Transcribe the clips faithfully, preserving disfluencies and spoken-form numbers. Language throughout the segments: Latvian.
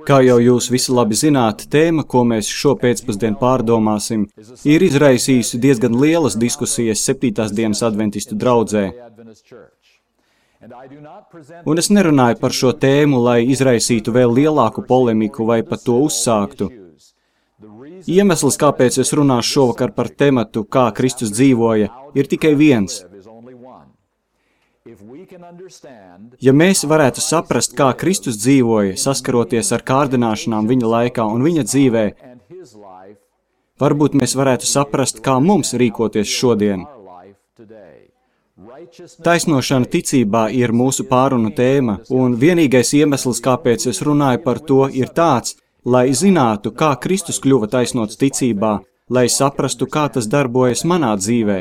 Kā jau jūs visi labi zināt, tēma, ko mēs šo pēcpusdienu pārdomāsim, ir izraisījusi diezgan lielas diskusijas septītās dienas adventistu draudzē. Un es nerunāju par šo tēmu, lai izraisītu vēl lielāku polemiku vai pat to uzsāktu. Iemesls, kāpēc es runāšu šovakar par tematu, kā Kristus dzīvoja, ir tikai viens. Ja mēs varētu saprast, kā Kristus dzīvoja, saskaroties ar kārdināšanām viņa laikā un viņa dzīvē, varbūt mēs varētu saprast, kā mums rīkoties šodien. Taisnošana ticībā ir mūsu pārunu tēma, un vienīgais iemesls, kāpēc es runāju par to, ir tāds, lai zinātu, kā Kristus kļuva taisnots ticībā, lai saprastu, kā tas darbojas manā dzīvē.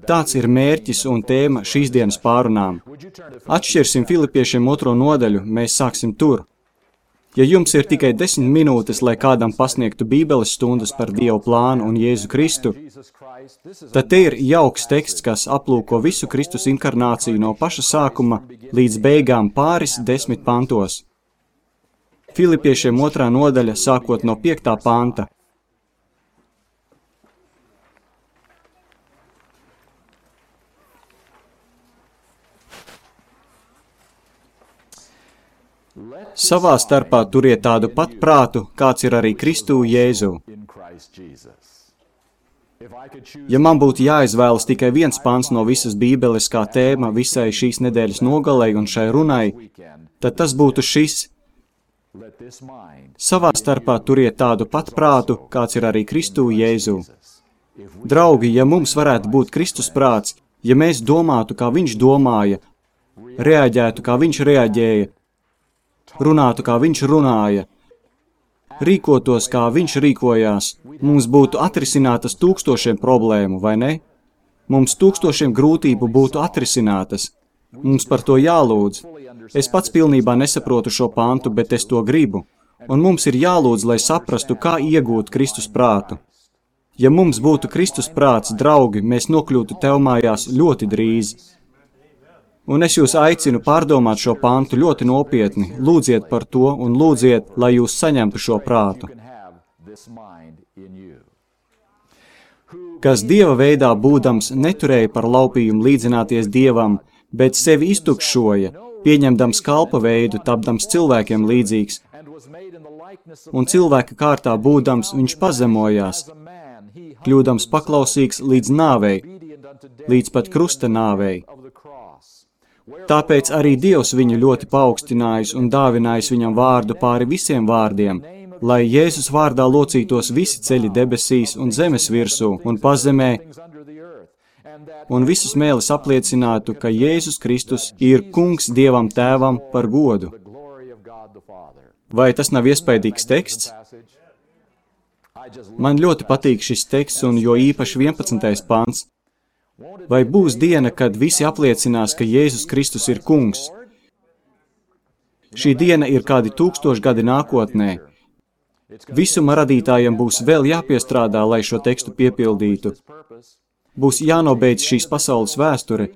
Tāds ir mērķis un tēma šīs dienas pārunām. Atšķirsim Filipiešiem otro nodaļu, mēs sāksim tur. Ja jums ir tikai desmit minūtes, lai kādam pasniegtu Bībeles stundas par Dievu plānu un Jēzu Kristu, tad te ir jauks teksts, kas aplūko visu Kristus inkarnāciju no paša sākuma līdz beigām pāris desmit pantos. Filipiešiem otrā nodaļa, sākot no piektā panta. Savā starpā turiet tādu pat prātu, kāds ir arī Kristū Jēzu. Ja man būtu jāizvēlas tikai viens pants no visas Bībeles kā tēma visai šīs nedēļas nogalei un šai runai, tad tas būtu šis. Savā starpā turiet tādu pat prātu, kāds ir arī Kristū Jēzu. Draugi, ja mums varētu būt Kristus prāts, ja mēs domātu, kā viņš domāja, reaģētu, kā viņš reaģēja, runātu, kā viņš runāja, rīkotos, kā viņš rīkojās, mums būtu atrisinātas tūkstošiem problēmu, vai ne? Mums tūkstošiem grūtību būtu atrisinātas. Mums par to jālūdz. Es pats pilnībā nesaprotu šo pantu, bet es to gribu. Un mums ir jālūdz, lai saprastu, kā iegūt Kristus prātu. Ja mums būtu Kristus prāts, draugi, mēs nokļūtu tev mājās ļoti drīz. Un es jūs aicinu pārdomāt šo pantu ļoti nopietni, lūdziet par to un lūdziet, lai jūs saņemtu šo prātu. Kas Dieva veidā būdams neturēja par laupījumu līdzināties Dievam, bet sevi iztukšoja, pieņemdams kalpa veidu, tapdams cilvēkiem līdzīgs, un cilvēka kārtā būdams viņš pazemojās, kļūdams paklausīgs līdz nāvei, līdz pat krusta nāvei. Tāpēc arī Dievs viņu ļoti paaugstinājis un dāvinājis viņam vārdu pāri visiem vārdiem, lai Jēzus vārdā locītos visi ceļi debesīs un zemes virsū un pazemē, un visus mēlis apliecinātu, ka Jēzus Kristus ir kungs Dievam Tēvam par godu. Vai tas nav iespaidīgs teksts? Man ļoti patīk šis teksts un jo īpaši vienpadsmitais pants. Vai būs diena, kad visi apliecinās, ka Jēzus Kristus ir kungs? Šī diena ir kādi tūkstoši gadi nākotnē. Visuma radītājiem būs vēl jāpiestrādā, lai šo tekstu piepildītu. Būs jānobeidz šīs pasaules vēsture.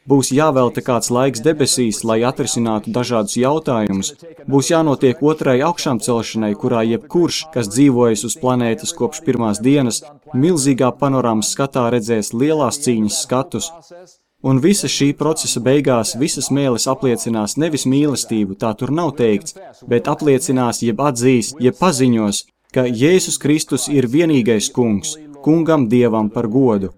Būs jāvelta kāds laiks debesīs, lai atrisinātu dažādus jautājumus. Būs jānotiek otrai augšām celšanai, kurā jebkurš, kas dzīvojas uz planētas kopš pirmās dienas, milzīgā panorāmas skatā redzēs lielās cīņas skatus. Un visa šī procesa beigās visas mēlis apliecinās nevis mīlestību, tā tur nav teikts, bet apliecinās, jeb atzīs, jeb paziņos, ka Jēzus Kristus ir vienīgais kungs, kungam Dievam par godu.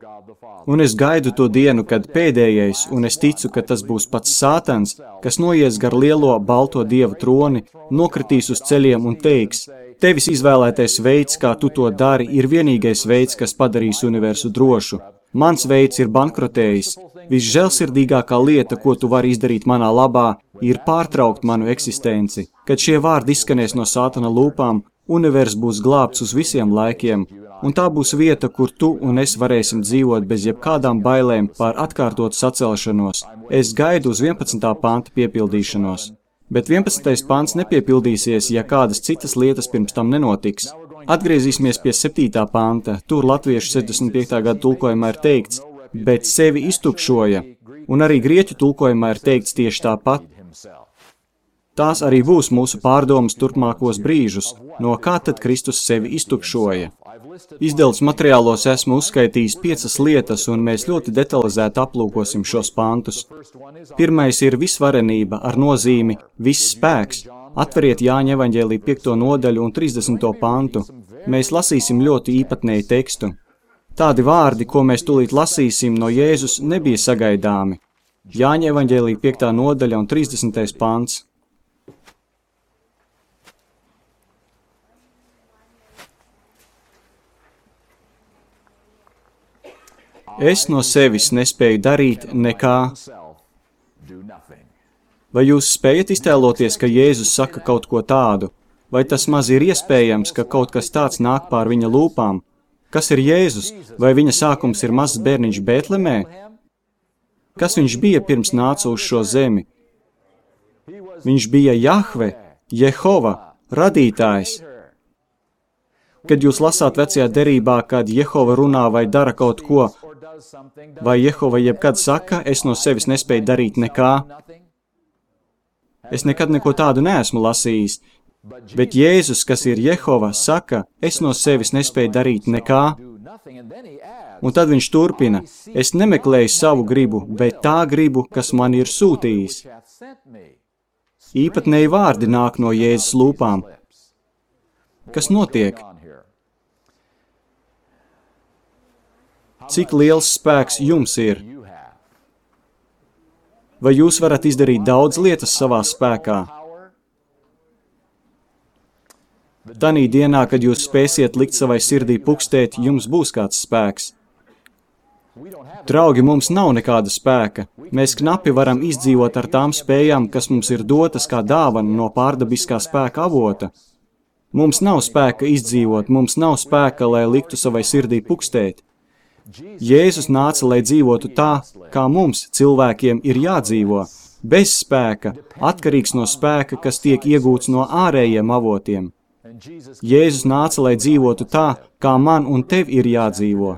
Un es gaidu to dienu, kad pēdējais, un es ticu, ka tas būs pats Sātans, kas noies gar lielo balto Dieva troni, nokritīs uz ceļiem un teiks, tevis izvēlētais veids, kā tu to dari, ir vienīgais veids, kas padarīs universu drošu. Mans veids ir bankrotējis. Visžēlsirdīgākā lieta, ko tu vari izdarīt manā labā, ir pārtraukt manu eksistenci. Kad šie vārdi izskanēs no Sātana lūpām, univers būs glābts uz visiem laikiem, un tā būs vieta, kur tu un es varēsim dzīvot bez jebkādām bailēm pār atkārtotu sacelšanos. Es gaidu uz vienpadsmitā panta piepildīšanos. Bet vienpadsmitais pants nepiepildīsies, ja kādas citas lietas pirms tam nenotiks. Atgriezīsimies pie septītā panta. Tur latviešu sešdesmit piektā gada tulkojumā ir teikts, bet sevi iztukšoja, un arī grieķu tulkojumā ir teikts tieši tāpat. Tās arī būs mūsu pārdomas turpmākos brīžus, no kā tad Kristus sevi iztukšoja. Izdevums materiālos esmu uzskaitījis piecas lietas, un mēs ļoti detalizēti aplūkosim šos pantus. Pirmais ir visvarenība ar nozīmi viss spēks. Atveriet Jāņa evaņģēlija piekto nodaļu un trīsdesmito pantu. Mēs lasīsim ļoti īpatnēju tekstu. Tādi vārdi, ko mēs tūlīt lasīsim no Jēzus, nebija sagaidāmi. Jāņa evaņģēlija piektā nodaļa un trīsdesmitais pants. Es no sevis nespēju darīt nekā. Vai jūs spējat iztēloties, ka Jēzus saka kaut ko tādu? Vai tas maz ir iespējams, ka kaut kas tāds nāk pār viņa lūpām? Kas ir Jēzus? Vai viņa sākums ir mazs bērniņš Bētlemē? Kas viņš bija pirms nāca uz šo zemi? Viņš bija Jahve, Jehova, radītājs. Kad jūs lasāt vecajā derībā, kad Jehova runā vai dara kaut ko, vai Jehova jebkad saka, es no sevis nespēju darīt nekā? Es nekad neko tādu neesmu lasījis, bet Jēzus, kas ir Jehova, saka, es no sevis nespēju darīt nekā. Un tad viņš turpina, es nemeklēju savu gribu, bet tā gribu, kas man ir sūtījis. Īpatnēji vārdi nāk no Jēzus lūpām. Kas notiek? Cik liels spēks jums ir? Vai jūs varat izdarīt daudz lietas savā spēkā? Tanī dienā, kad jūs spēsiet likt savai sirdī pukstēt, jums būs kāds spēks. Draugi, mums nav nekāda spēka. Mēs knapi varam izdzīvot ar tām spējām, kas mums ir dotas kā dāvana no pārdabiskā spēka avota. Mums nav spēka izdzīvot, mums nav spēka, lai liktu savai sirdī pukstēt. Jēzus nāca, lai dzīvotu tā, kā mums, cilvēkiem, ir jādzīvo, bez spēka, atkarīgs no spēka, kas tiek iegūts no ārējiem avotiem. Jēzus nāca, lai dzīvotu tā, kā man un tev ir jādzīvo.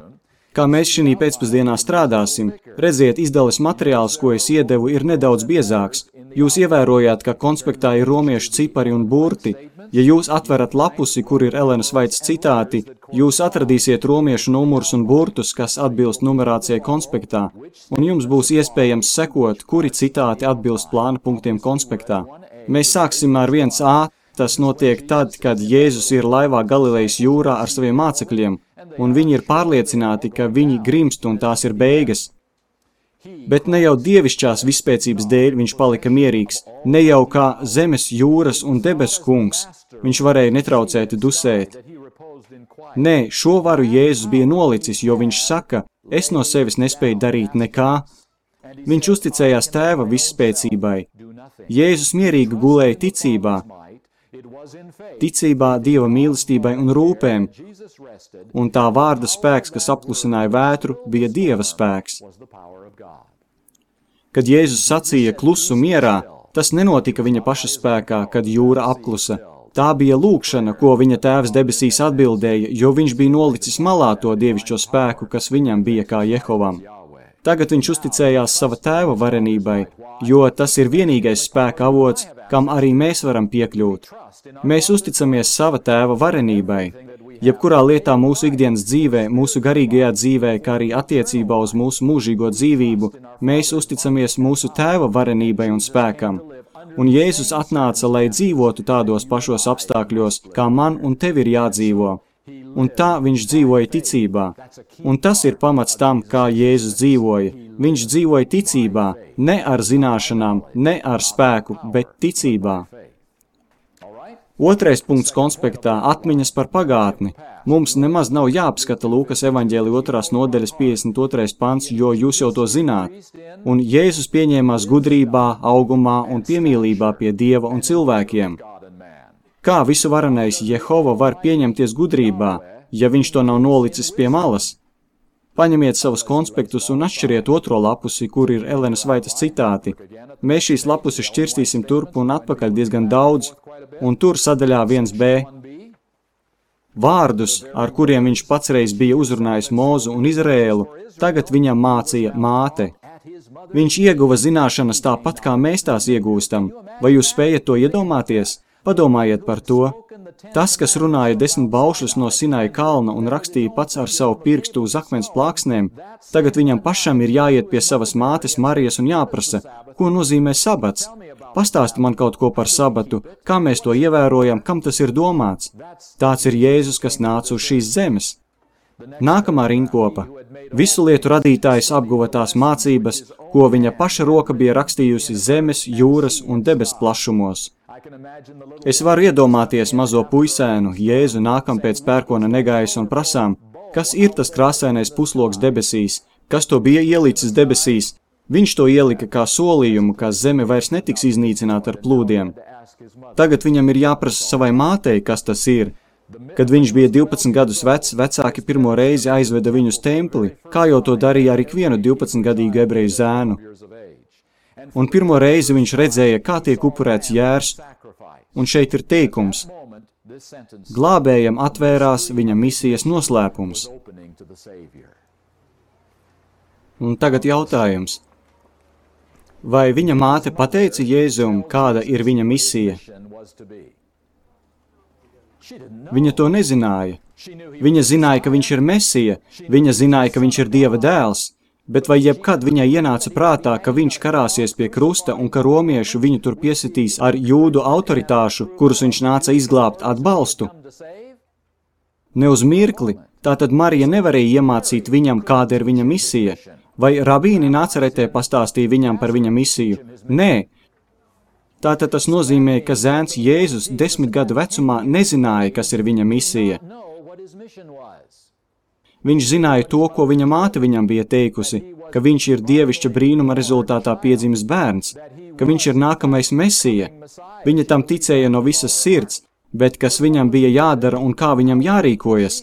Kā mēs šī pēcpusdienā strādāsim, redziet, izdales materiāls, ko es iedevu, ir nedaudz biezāks. Jūs ievērojāt, ka konspektā ir romiešu cipari un burti. Ja jūs atverat lapusi, kur ir Elenas Vaitas citāti, jūs atradīsiet romiešu numurus un burtus, kas atbilst numerācijai konspektā, un jums būs iespējams sekot, kuri citāti atbilst plāna punktiem konspektā. Mēs sāksim ar viens A, tas notiek tad, kad Jēzus ir laivā Galilejas jūrā ar saviem mācekļiem, un viņi ir pārliecināti, ka viņi grimst un tās ir beigas. Bet ne jau dievišķās vispēcības dēļ viņš palika mierīgs, ne jau kā zemes, jūras un debesu kungs, viņš varēja netraucēti dusēt. Nē, šo varu Jēzus bija nolicis, jo viņš saka, es no sevis nespēju darīt nekā. Viņš uzticējās tēva visspēcībai. Jēzus mierīgi gulēja ticībā, ticībā Dieva mīlestībai un rūpēm, un tā vārda spēks, kas apklusināja vētru, bija Dieva spēks. Kad Jēzus sacīja klusu mierā, tas nenotika viņa paša spēkā, kad jūra apklusa. Tā bija lūkšana, ko viņa tēvs debesīs atbildēja, jo viņš bija nolicis malā to dievišķo spēku, kas viņam bija kā Jehovam. Tagad viņš uzticējās sava tēva varenībai, jo tas ir vienīgais spēka avots, kam arī mēs varam piekļūt. Mēs uzticamies sava tēva varenībai. Jebkurā lietā mūsu ikdienas dzīvē, mūsu garīgajā dzīvē, kā arī attiecībā uz mūsu mūžīgo dzīvību, mēs uzticamies mūsu tēva varenībai un spēkam. Un Jēzus atnāca, lai dzīvotu tādos pašos apstākļos, kā man un tev ir jādzīvo. Un tā viņš dzīvoja ticībā. Un tas ir pamats tam, kā Jēzus dzīvoja. Viņš dzīvoja ticībā, ne ar zināšanām, ne ar spēku, bet ticībā. Otrais punkts konspektā – atmiņas par pagātni. Mums nemaz nav jāapskata Lūkas evaņģēlija otrās nodaļas piecdesmit otrais pants, jo jūs jau to zināt. Un Jēzus pieņēmās gudrībā, augumā un piemīlībā pie Dieva un cilvēkiem. Kā visu varenais Jehova var pieņemties gudrībā, ja viņš to nav nolicis pie malas? Paņemiet savus konspektus un atšķiriet otro lapusi, kur ir Elenas Vaitas citāti. Mēs šīs lapusi šķirstīsim turp un atpakaļ diezgan daudz, un tur sadaļā viens B. Vārdus, ar kuriem viņš pats reiz bija uzrunājis Mozu un Izrēlu, tagad viņam mācīja māte. Viņš ieguva zināšanas tāpat, kā mēs tās iegūstam. Vai jūs spējat to iedomāties? Padomājiet par to. Tas, kas runāja desmit baušļus no Sinaja kalna un rakstīja pats ar savu pirkstu uz akmens plāksnēm, tagad viņam pašam ir jāiet pie savas mātes Marijas un jāprasa, ko nozīmē sabats. Pastāsti man kaut ko par sabatu, kā mēs to ievērojam, kam tas ir domāts. Tāds ir Jēzus, kas nāca uz šīs zemes. Nākamā rindkopa. Visu lietu radītājs apguva tās mācības, ko viņa paša roka bija rakstījusi zemes, jūras un debes plašumos. Es varu iedomāties mazo puisēnu, Jēzu nākam pēc pērkona negaisa un prasām, kas ir tas krāsainais pusloks debesīs, kas to bija ielicis debesīs. Viņš to ielika kā solījumu, ka zeme vairs netiks iznīcināta ar plūdiem. Tagad viņam ir jāprasa savai mātei, kas tas ir. Kad viņš bija divpadsmit gadus vecs, vecāki pirmo reizi aizveda viņu uz templi, kā jau to darīja ar ikvienu divpadsmitgadīgu ebreju zēnu. Un pirmo reizi viņš redzēja, kā tiek upurēts jērs, un šeit ir teikums. Glābējam atvērās viņa misijas noslēpums. Un tagad jautājums. Vai viņa māte pateica Jēzum, kāda ir viņa misija? Viņa to nezināja. Viņa zināja, ka viņš ir Mesija, viņa zināja, ka viņš ir Dieva dēls, bet vai jebkad viņai ienāca prātā, ka viņš karāsies pie krusta un ka romiešu viņu tur piesitīs ar jūdu autoritāšu, kurus viņš nāca izglābt atbalstu? Ne uz mirkli, tātad Marija nevarēja iemācīt viņam, kāda ir viņa misija. Vai rabīni Nacaretē pastāstīja viņam par viņa misiju? Nē. Tātad tas nozīmē, ka zēns Jēzus desmit gadu vecumā nezināja, kas ir viņa misija. Viņš zināja to, ko viņa māte viņam bija teikusi, ka viņš ir dievišķa brīnuma rezultātā piedzimis bērns, ka viņš ir nākamais Mesija. Viņa tam ticēja no visas sirds, bet kas viņam bija jādara un kā viņam jārīkojas.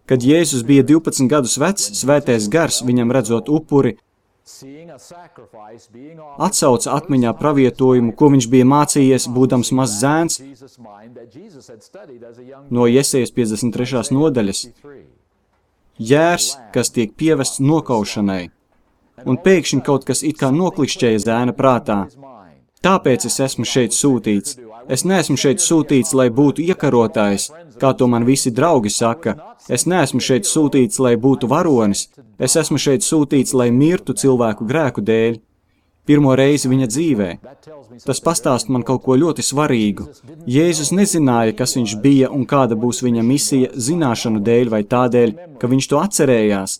Kad Jēzus bija divpadsmit gadus vecs, svētais gars viņam redzot upuri, atsauca atmiņā pravietojumu, ko viņš bija mācījies, būdams mazs zēns, no Jesejas piecdesmit trešās nodaļas. Jērs, kas tiek pievests nokaušanai, un pēkšņi kaut kas it kā noklikšķēja zēna prātā. Tāpēc es esmu šeit sūtīts. Es neesmu šeit sūtīts, lai būtu iekarotājs, kā to man visi draugi saka. Es neesmu šeit sūtīts, lai būtu varonis. Es esmu šeit sūtīts, lai mirtu cilvēku grēku dēļ. Pirmo reizi viņa dzīvē. Tas pastāst man kaut ko ļoti svarīgu. Jēzus nezināja, kas viņš bija un kāda būs viņa misija zināšanu dēļ vai tādēļ, ka viņš to atcerējās.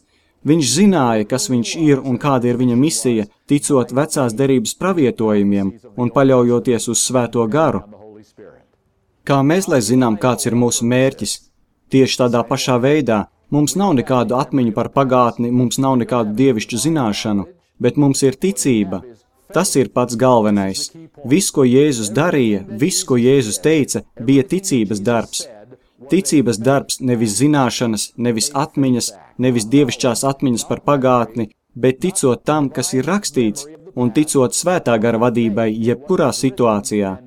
Viņš zināja, kas viņš ir un kāda ir viņa misija, ticot vecās derības pravietojumiem un paļaujoties uz svēto garu. Kā mēs, lai zinām, kāds ir mūsu mērķis? Tieši tādā pašā veidā mums nav nekādu atmiņu par pagātni, mums nav nekādu dievišķu zināšanu, bet mums ir ticība. Tas ir pats galvenais. Viss, ko Jēzus darīja, viss, ko Jēzus teica, bija ticības darbs. Ticības darbs nevis zināšanas, nevis atmiņas, nevis dievišķās atmiņas par pagātni, bet ticot tam, kas ir rakstīts, un ticot svētā gara vadībai jebkurā situācijā.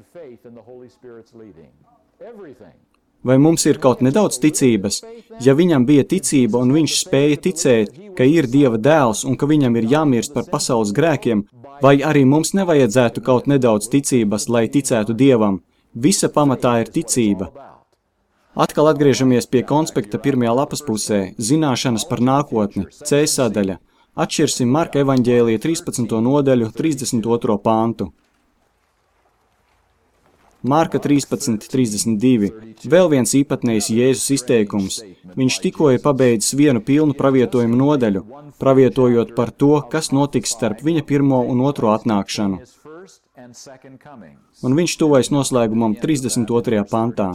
Vai mums ir kaut nedaudz ticības? Ja viņam bija ticība un viņš spēja ticēt, ka ir Dieva dēls un ka viņam ir jāmirst par pasaules grēkiem, vai arī mums nevajadzētu kaut nedaudz ticības, lai ticētu Dievam? Visa pamatā ir ticība. Atkal atgriežamies pie konspekta pirmajā lapas pusē – zināšanas par nākotni, C sadaļa. Atšķirsim Marka evaņģēlija trīspadsmito nodaļu, trīsdesmit otro pāntu. Marka trīspadsmit trīsdesmit divi. Vēl viens īpatnējs Jēzus izteikums. Viņš tikko ir pabeidzis vienu pilnu pravietojumu nodaļu, pravietojot par to, kas notiks starp viņa pirmo un otro atnākšanu. Un viņš tuvojas noslēgumam trīsdesmit otrajā pantā.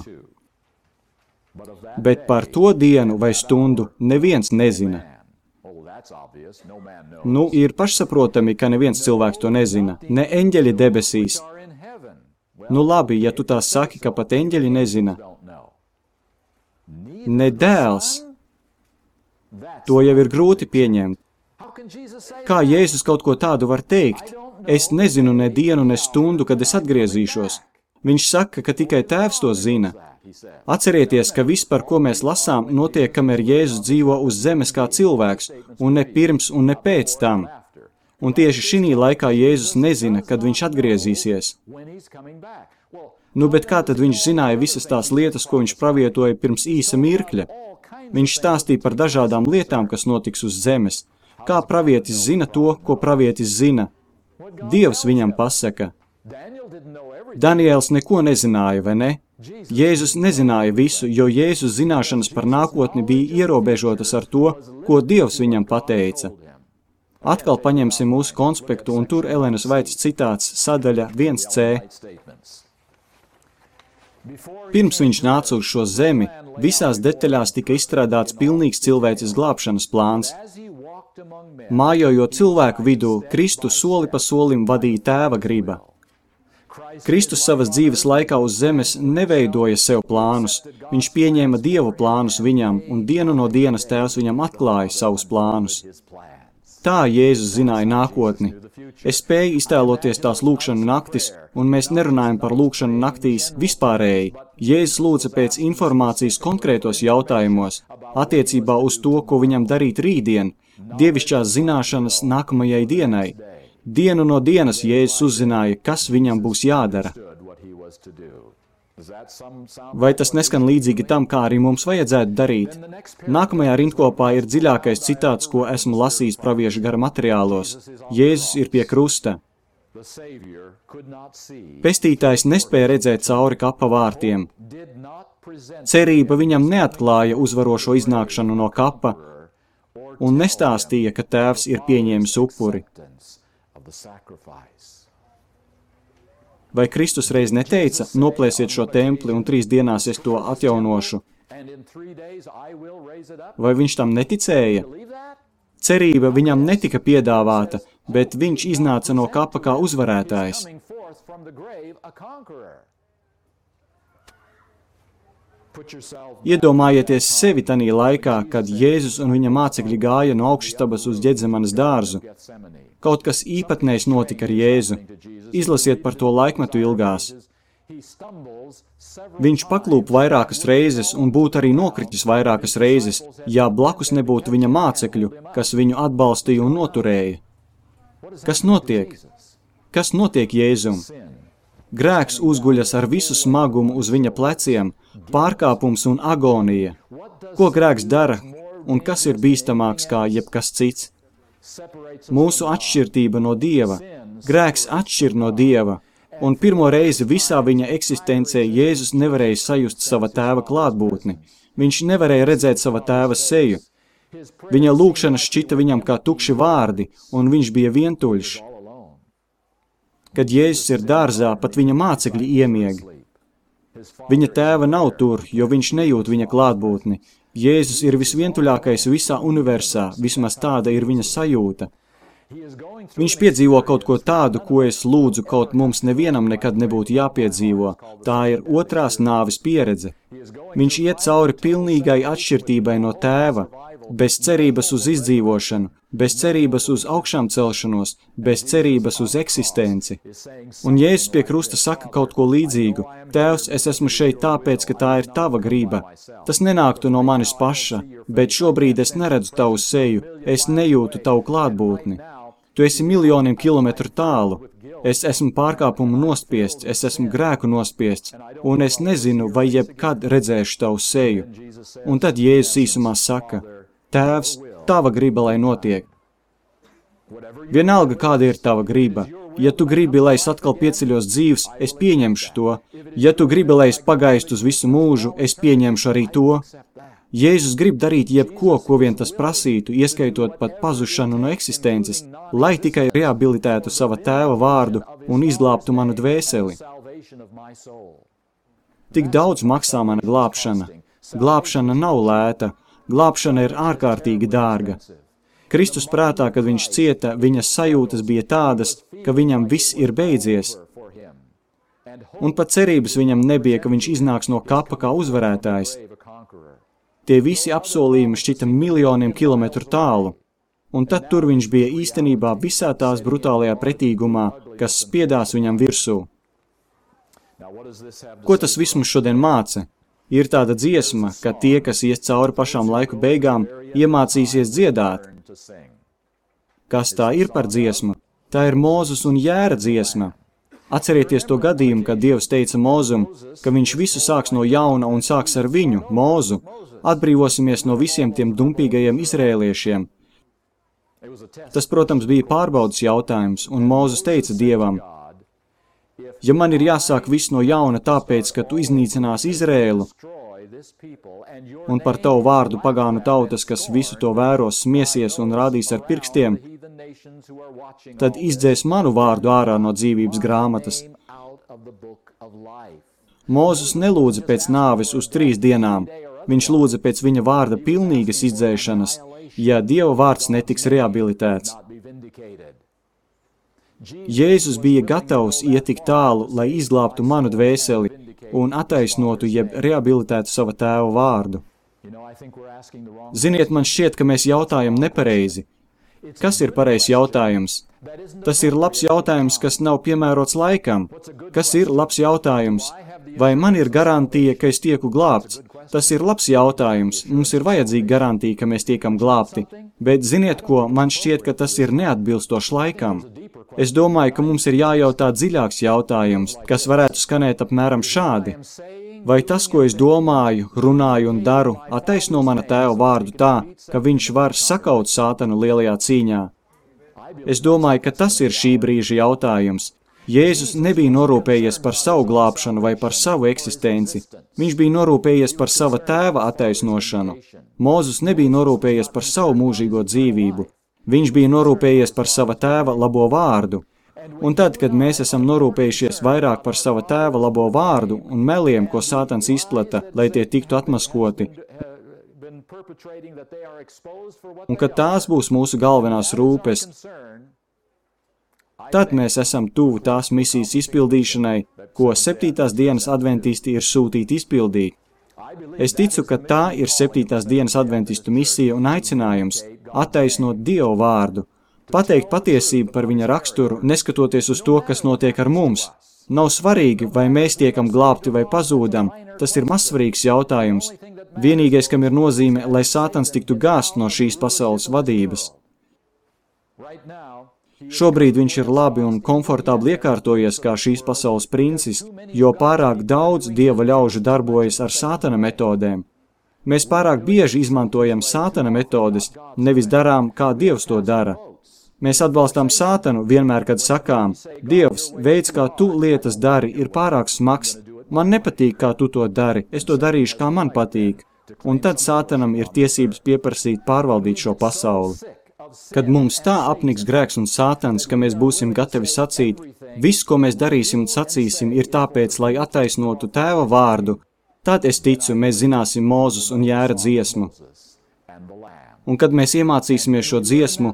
Bet par to dienu vai stundu neviens nezina. Nu, ir pašsaprotami, ka neviens cilvēks to nezina. Ne eņģeļi debesīs. Nu labi, ja tu tā saki, ka pat eņģeļi nezina. Ne dēls. To jau ir grūti pieņemt. Kā Jēzus kaut ko tādu var teikt? Es nezinu ne dienu, ne stundu, kad es atgriezīšos. Viņš saka, ka tikai tēvs to zina. Atcerieties, ka viss, par ko mēs lasām, notiek, kamēr Jēzus dzīvo uz zemes kā cilvēks, un ne pirms un ne pēc tam. Un tieši šī laikā Jēzus nezina, kad viņš atgriezīsies. Nu, bet kā tad viņš zināja visas tās lietas, ko viņš pravietoja pirms īsa mirkļa? Viņš stāstīja par dažādām lietām, kas notiks uz zemes. Kā pravietis zina to, ko pravietis zina? Dievs viņam pasaka. Daniēls neko nezināja, vai ne? Jēzus nezināja visu, jo Jēzus zināšanas par nākotni bija ierobežotas ar to, ko Dievs viņam pateica. Atkal paņemsim mūsu konspektu, un tur Elenas Vaitas citāts, sadaļa viens C. Pirms viņš nāca uz šo zemi, visās detaļās tika izstrādāts pilnīgs cilvēces glābšanas plāns. Mājojot cilvēku vidū, Kristus soli pa solim vadīja tēva griba. Kristus savas dzīves laikā uz zemes neveidoja sev plānus, viņš pieņēma Dievu plānus viņam, un dienu no dienas tēvs viņam atklāja savus plānus. Tā Jēzus zināja nākotni. Es spēju iztēloties tās lūkšanu naktis, un mēs nerunājam par lūkšanu naktīs vispārēji. Jēzus lūdza pēc informācijas konkrētos jautājumos, attiecībā uz to, ko viņam darīt rītdien, dievišķās zināšanas nākamajai dienai. Dienu no dienas Jēzus uzzināja, kas viņam būs jādara. Vai tas neskan līdzīgi tam, kā arī mums vajadzētu darīt? Nākamajā rindkopā ir dziļākais citāts, ko esmu lasījis praviešu gara materiālos. Jēzus ir pie krusta. Pestītājs nespēja redzēt cauri kapa vārtiem. Cerība viņam neatklāja uzvarošo iznākšanu no kapa un nestāstīja, ka tēvs ir pieņēmis upuri. Vai Kristus reiz neteica, noplēsiet šo templi un trīs dienās es to atjaunošu? Vai viņš tam neticēja? Cerība viņam netika piedāvāta, bet viņš iznāca no kapa kā uzvarētājs. Iedomājieties sevi tanī laikā, kad Jēzus un viņa mācekļi gāja no augšstabas uz Ģedzemanes dārzu. Kaut kas īpatnējs notika ar Jēzu. Izlasiet par to laikmetu ilgās. Viņš paklūp vairākas reizes un būtu arī nokritis vairākas reizes, ja blakus nebūtu viņa mācekļu, kas viņu atbalstīja un noturēja. Kas notiek? Kas notiek Jēzum? Grēks uzguļas ar visu smagumu uz viņa pleciem, pārkāpums un agonija. Ko grēks dara un kas ir bīstamāks kā jebkas cits? Mūsu atšķirtība no Dieva. Grēks atšķir no Dieva, un pirmo reizi visā viņa eksistencē Jēzus nevarēja sajust sava tēva klātbūtni. Viņš nevarēja redzēt sava tēva seju. Viņa lūkšana šķita viņam kā tukši vārdi, un viņš bija vientuļš. Kad Jēzus ir dārzā, pat viņa mācekļi iemieg. Viņa tēva nav tur, jo viņš nejūt viņa klātbūtni. Jēzus ir visvientuļākais visā universā, vismaz tāda ir viņa sajūta. Viņš piedzīvo kaut ko tādu, ko es lūdzu, kaut mums nevienam nekad nebūtu jāpiedzīvo. Tā ir otrās nāves pieredze. Viņš iet cauri pilnīgai atšķirtībai no tēva, bez cerības uz izdzīvošanu, bez cerības uz augšām celšanos, bez cerības uz eksistenci. Un Jēzus pie krusta saka kaut ko līdzīgu. Tēvs, es esmu šeit tāpēc, ka tā ir tava grība. Tas nenāktu no manis paša, bet šobrīd es neredzu tavu seju, es nejūtu tavu klātbūtni. Tu esi miljoniem kilometru tālu. Es esmu pārkāpumu nospiests, es esmu grēku nospiests, un es nezinu, vai jebkad redzēšu tavu seju. Un tad Jēzus īsumā saka, Tēvs, tava griba, lai notiek. Vienalga, kāda ir tava griba. Ja tu gribi, lai es atkal pieceļos dzīvs, es pieņemšu to. Ja tu gribi, lai es pagaistu uz visu mūžu, es pieņemšu arī to. Jēzus grib darīt jebko, ko vien tas prasītu, ieskaitot pat pazušanu no eksistences, lai tikai rehabilitētu sava tēva vārdu un izglābtu manu dvēseli. Tik daudz maksā mana glābšana. Glābšana nav lēta. Glābšana ir ārkārtīgi dārga. Kristus prātā, kad viņš cieta, viņas sajūtas bija tādas, ka viņam viss ir beidzies. Un pat cerības viņam nebija, ka viņš iznāks no kapa kā uzvarētājs. Tie visi apsolījumi šķita miljoniem kilometru tālu. Un tad tur viņš bija īstenībā visā tās brutālajā pretīgumā, kas spiedās viņam virsū. Ko tas viss mums šodien māca? Ir tāda dziesma, ka tie, kas ies cauri pašām laiku beigām, iemācīsies dziedāt. Kas tā ir par dziesmu? Tā ir Mūzes un Jēra dziesma. Atcerieties to gadījumu, kad Dievs teica Mūzum, ka viņš visu sāks no jauna un sāks ar viņu, Mūzu. Atbrīvosimies no visiem tiem dumpīgajiem izrēliešiem. Tas, protams, bija pārbaudas jautājums, un Mūzes teica Dievam, ja man ir jāsāk viss no jauna tāpēc, ka tu iznīcinās Izrēlu, un par tavu vārdu pagānu tautas, kas visu to vēros, smiesies un rādīs ar pirkstiem, tad izdzēs manu vārdu ārā no dzīvības grāmatas. Mūzes nelūdza pēc nāves uz trīs dienām, viņš lūdza pēc viņa vārda pilnīgas izdzēšanas, ja Dieva vārds netiks rehabilitēts. Jēzus bija gatavs iet tik tālu, lai izglābtu manu dvēseli un attaisnotu jeb rehabilitētu sava tēva vārdu. Ziniet, man šķiet, ka mēs jautājam nepareizi. Kas ir pareizs jautājums? Tas ir labs jautājums, kas nav piemērots laikam. Kas ir labs jautājums? Vai man ir garantija, ka es tieku glābts? Tas ir labs jautājums. Mums ir vajadzīga garantija, ka mēs tiekam glābti. Bet ziniet ko, man šķiet, ka tas ir neatbilstošs laikam. Es domāju, ka mums ir jājautā dziļāks jautājums, kas varētu skanēt apmēram šādi. Vai tas, ko es domāju, runāju un daru, attaisno mana tēva vārdu tā, ka viņš var sakaut sātanu lielajā cīņā? Es domāju, ka tas ir šī brīža jautājums. Jēzus nebija norūpējies par savu glābšanu vai par savu eksistenci. Viņš bija norūpējies par sava tēva attaisnošanu. Mūzes nebija norūpējies par savu mūžīgo dzīvību. Viņš bija norūpējies par sava tēva labo vārdu. Un tad, kad mēs esam norūpējušies vairāk par sava tēva labo vārdu un meliem, ko Sātans izplata, lai tie tiktu atmaskoti, un kad tās būs mūsu galvenās rūpes, tad mēs esam tuvu tās misijas izpildīšanai, ko septītās dienas adventisti ir sūtīti izpildīt. Es ticu, ka tā ir septītās dienas adventistu misija un aicinājums attaisnot Dievu vārdu, pateikt patiesību par viņa raksturu, neskatoties uz to, kas notiek ar mums. Nav svarīgi, vai mēs tiekam glābti vai pazūdam, tas ir mazsvarīgs jautājums. Vienīgais, kam ir nozīme, lai Sātans tiktu gāzt no šīs pasaules vadības. Šobrīd viņš ir labi un komfortabli iekārtojies kā šīs pasaules princis, jo pārāk daudz Dieva ļaužu darbojas ar Sātana metodēm. Mēs pārāk bieži izmantojam Sātana metodes, nevis darām, kā Dievs to dara. Mēs atbalstām Sātanu vienmēr, kad sakām, Dievs, veids, kā tu lietas dari, ir pārāk smags, man nepatīk, kā tu to dari, es to darīšu, kā man patīk. Un tad Sātanam ir tiesības pieprasīt pārvaldīt šo pasauli. Kad mums tā apniks grēks un Sātans, ka mēs būsim gatavi sacīt, viss, ko mēs darīsim un sacīsim, ir tāpēc, lai attaisnotu tēva vārdu, tad es ticu, mēs zināsim Mūzes un Jēra dziesmu. Un kad mēs iemācīsimies šo dziesmu,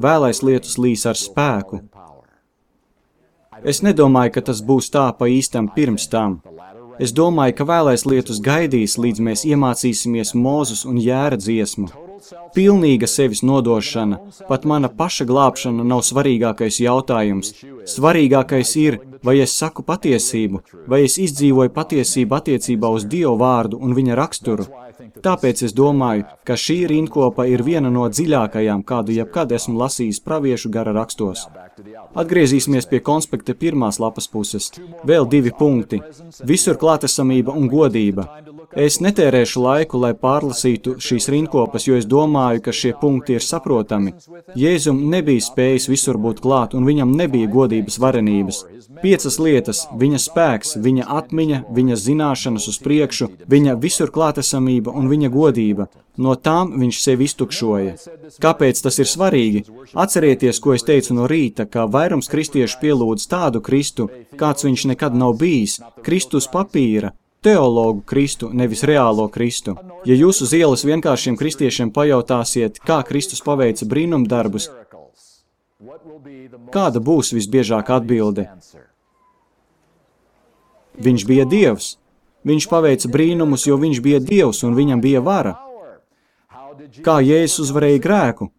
vēlais lietus līs ar spēku. Es nedomāju, ka tas būs tā pa īstam pirms tam. Es domāju, ka vēlais lietus gaidīs, līdz mēs iemācīsimies Mūzes un Jēra dziesmu. Pilnīga sevis nodošana, pat mana paša glābšana nav svarīgākais jautājums. Svarīgākais ir, vai es saku patiesību, vai es izdzīvoju patiesību attiecībā uz Dievu vārdu un viņa raksturu. Tāpēc es domāju, ka šī rindkopa ir viena no dziļākajām, kādu jebkad esmu lasījis praviešu gara rakstos. Atgriezīsimies pie konspekta pirmās lapas puses. Vēl divi punkti. Visur klātesamība un godība. Es netērēšu laiku, lai pārlasītu šīs rindkopas, jo es domāju, ka šie punkti ir saprotami. Jēzum nebija spējis visur būt klāt, un viņam nebija godības varenības. Piecas lietas – viņa spēks, viņa atmiņa, viņa zināšanas uz priekšu, viņa visur klātesamība un viņa godība. No tām viņš sevi iztukšoja. Kāpēc tas ir svarīgi? Atcerieties, ko es teicu no rīta, ka vairums kristiešu pielūdz tādu Kristu, kāds viņš nekad nav bijis, Kristus papīra, teologu Kristu, nevis reālo Kristu. Ja jūs uz ielas vienkāršiem kristiešiem pajautāsiet, kā Kristus paveica brīnumdarbus, kāda būs visbiežākā atbilde? Viņš bija Dievs. Viņš paveica brīnumus, jo viņš bija Dievs un viņam bija vara. Kā Jēzus uzvarēja grēku?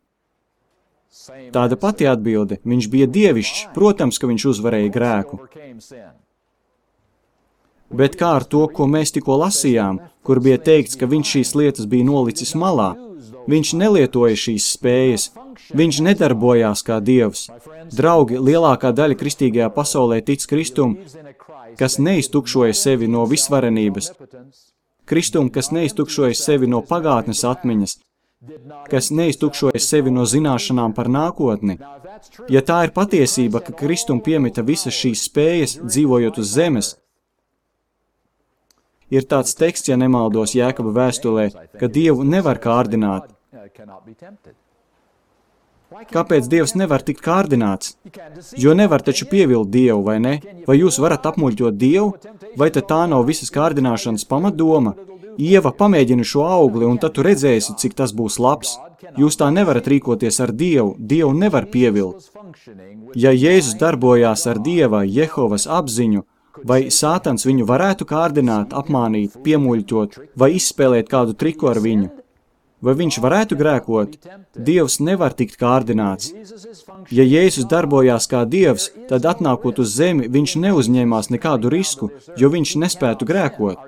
Tāda pati atbilde. Viņš bija dievišķs, protams, ka viņš uzvarēja grēku. Bet kā ar to, ko mēs tikko lasījām, kur bija teikts, ka viņš šīs lietas bija nolicis malā? Viņš nelietoja šīs spējas, viņš nedarbojās kā Dievs. Draugi, lielākā daļa kristīgajā pasaulē tic Kristum, kas neiztukšoja sevi no visvarenības, Kristum, kas neiztukšoja sevi no pagātnes atmiņas, kas neiztukšoja sevi no zināšanām par nākotni. Ja tā ir patiesība, ka Kristum piemita visas šīs spējas, dzīvojot uz zemes, ir tāds teksts, ja nemaldos Jēkaba vēstulē, ka Dievu nevar kārdināt. Kāpēc Dievs nevar tikt kārdināts? Jo nevar taču pievilt Dievu, vai ne? Vai jūs varat apmuļķot Dievu? Vai tad tā nav visas kārdināšanas pamatdoma? Ieva, pamēģini šo augli, un tad tu redzēsi, cik tas būs labs. Jūs tā nevarat rīkoties ar Dievu, Dievu nevar pievilt. Ja Jēzus darbojās ar Dieva, Jehovas apziņu, vai Sātans viņu varētu kārdināt, apmānīt, piemuļķot, vai izspēlēt kādu triku ar viņu? Vai viņš varētu grēkot? Dievs nevar tikt kārdināts. Ja Jēzus darbojās kā Dievs, tad atnākot uz zemi, viņš neuzņēmās nekādu risku, jo viņš nespētu grēkot.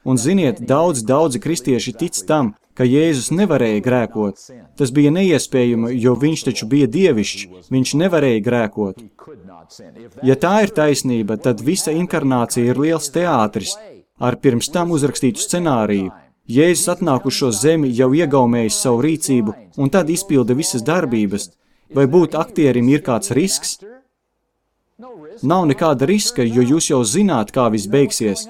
Un ziniet, daudz, daudzi kristieši tic tam, ka Jēzus nevarēja grēkot. Tas bija neiespējami, jo viņš taču bija dievišķs, viņš nevarēja grēkot. Ja tā ir taisnība, tad visa inkarnācija ir liels teātris ar pirms tam uzrakstītu scenāriju. Jēzus atnāk uz šo zemi jau iegaumējis savu rīcību un tad izpilda visas darbības. Vai būt aktierim ir kāds risks? Nav nekāda riska, jo jūs jau zināt, kā viss beigsies.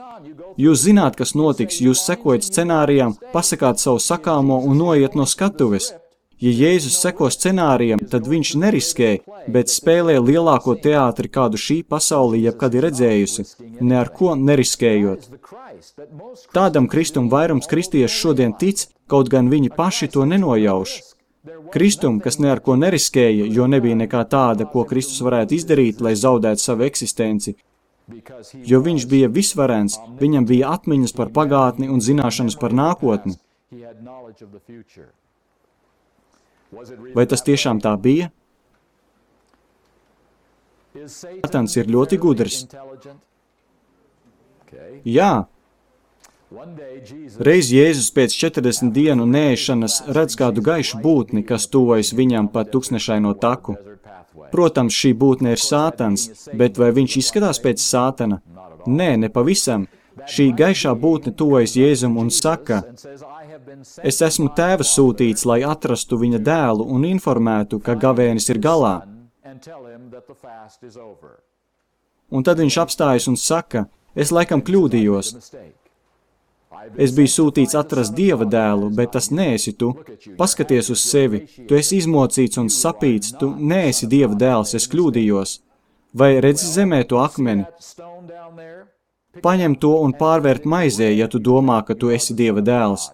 Jūs zināt, kas notiks, jūs sekojat scenārijam, pasakāt savu sakāmo un noiet no skatuves. Ja Jēzus seko scenārijam, tad viņš neriskē, bet spēlē lielāko teātri, kādu šī pasaulē jebkad ir redzējusi, ne ar ko neriskējot. Tādam Kristum vairums kristiešu šodien tic, kaut gan viņi paši to nenojauš. Kristum, kas ne ar ko neriskēja, jo nebija nekā tāda, ko Kristus varētu izdarīt, lai zaudētu savu eksistenci, jo viņš bija visvarens, viņam bija atmiņas par pagātni un zināšanas par nākotni. Vai tas tiešām tā bija? Sātans ir ļoti gudrs. Jā. Reiz Jēzus pēc četrdesmit dienu neēšanas redz kādu gaišu būtni, kas tuvojas viņam pa tuksnešaino taku. Protams, šī būtne ir Sātans, bet vai viņš izskatās pēc Sātana? Nē, ne pavisam. Šī gaišā būtne tuvojas Jēzum un saka: Es esmu Tēva sūtīts, lai atrastu viņa dēlu un informētu, ka gavēnis ir galā. Un tad viņš apstājas un saka: Es laikam kļūdījos. Es biju sūtīts atrast Dieva dēlu, bet tas neesi tu. Paskaties uz sevi, tu esi izmocīts un sapīts, tu neesi Dieva dēls, es kļūdījos. Vai redzi zemē to akmeni? Paņem to un pārvērt maizē, ja tu domā, ka tu esi Dieva dēls.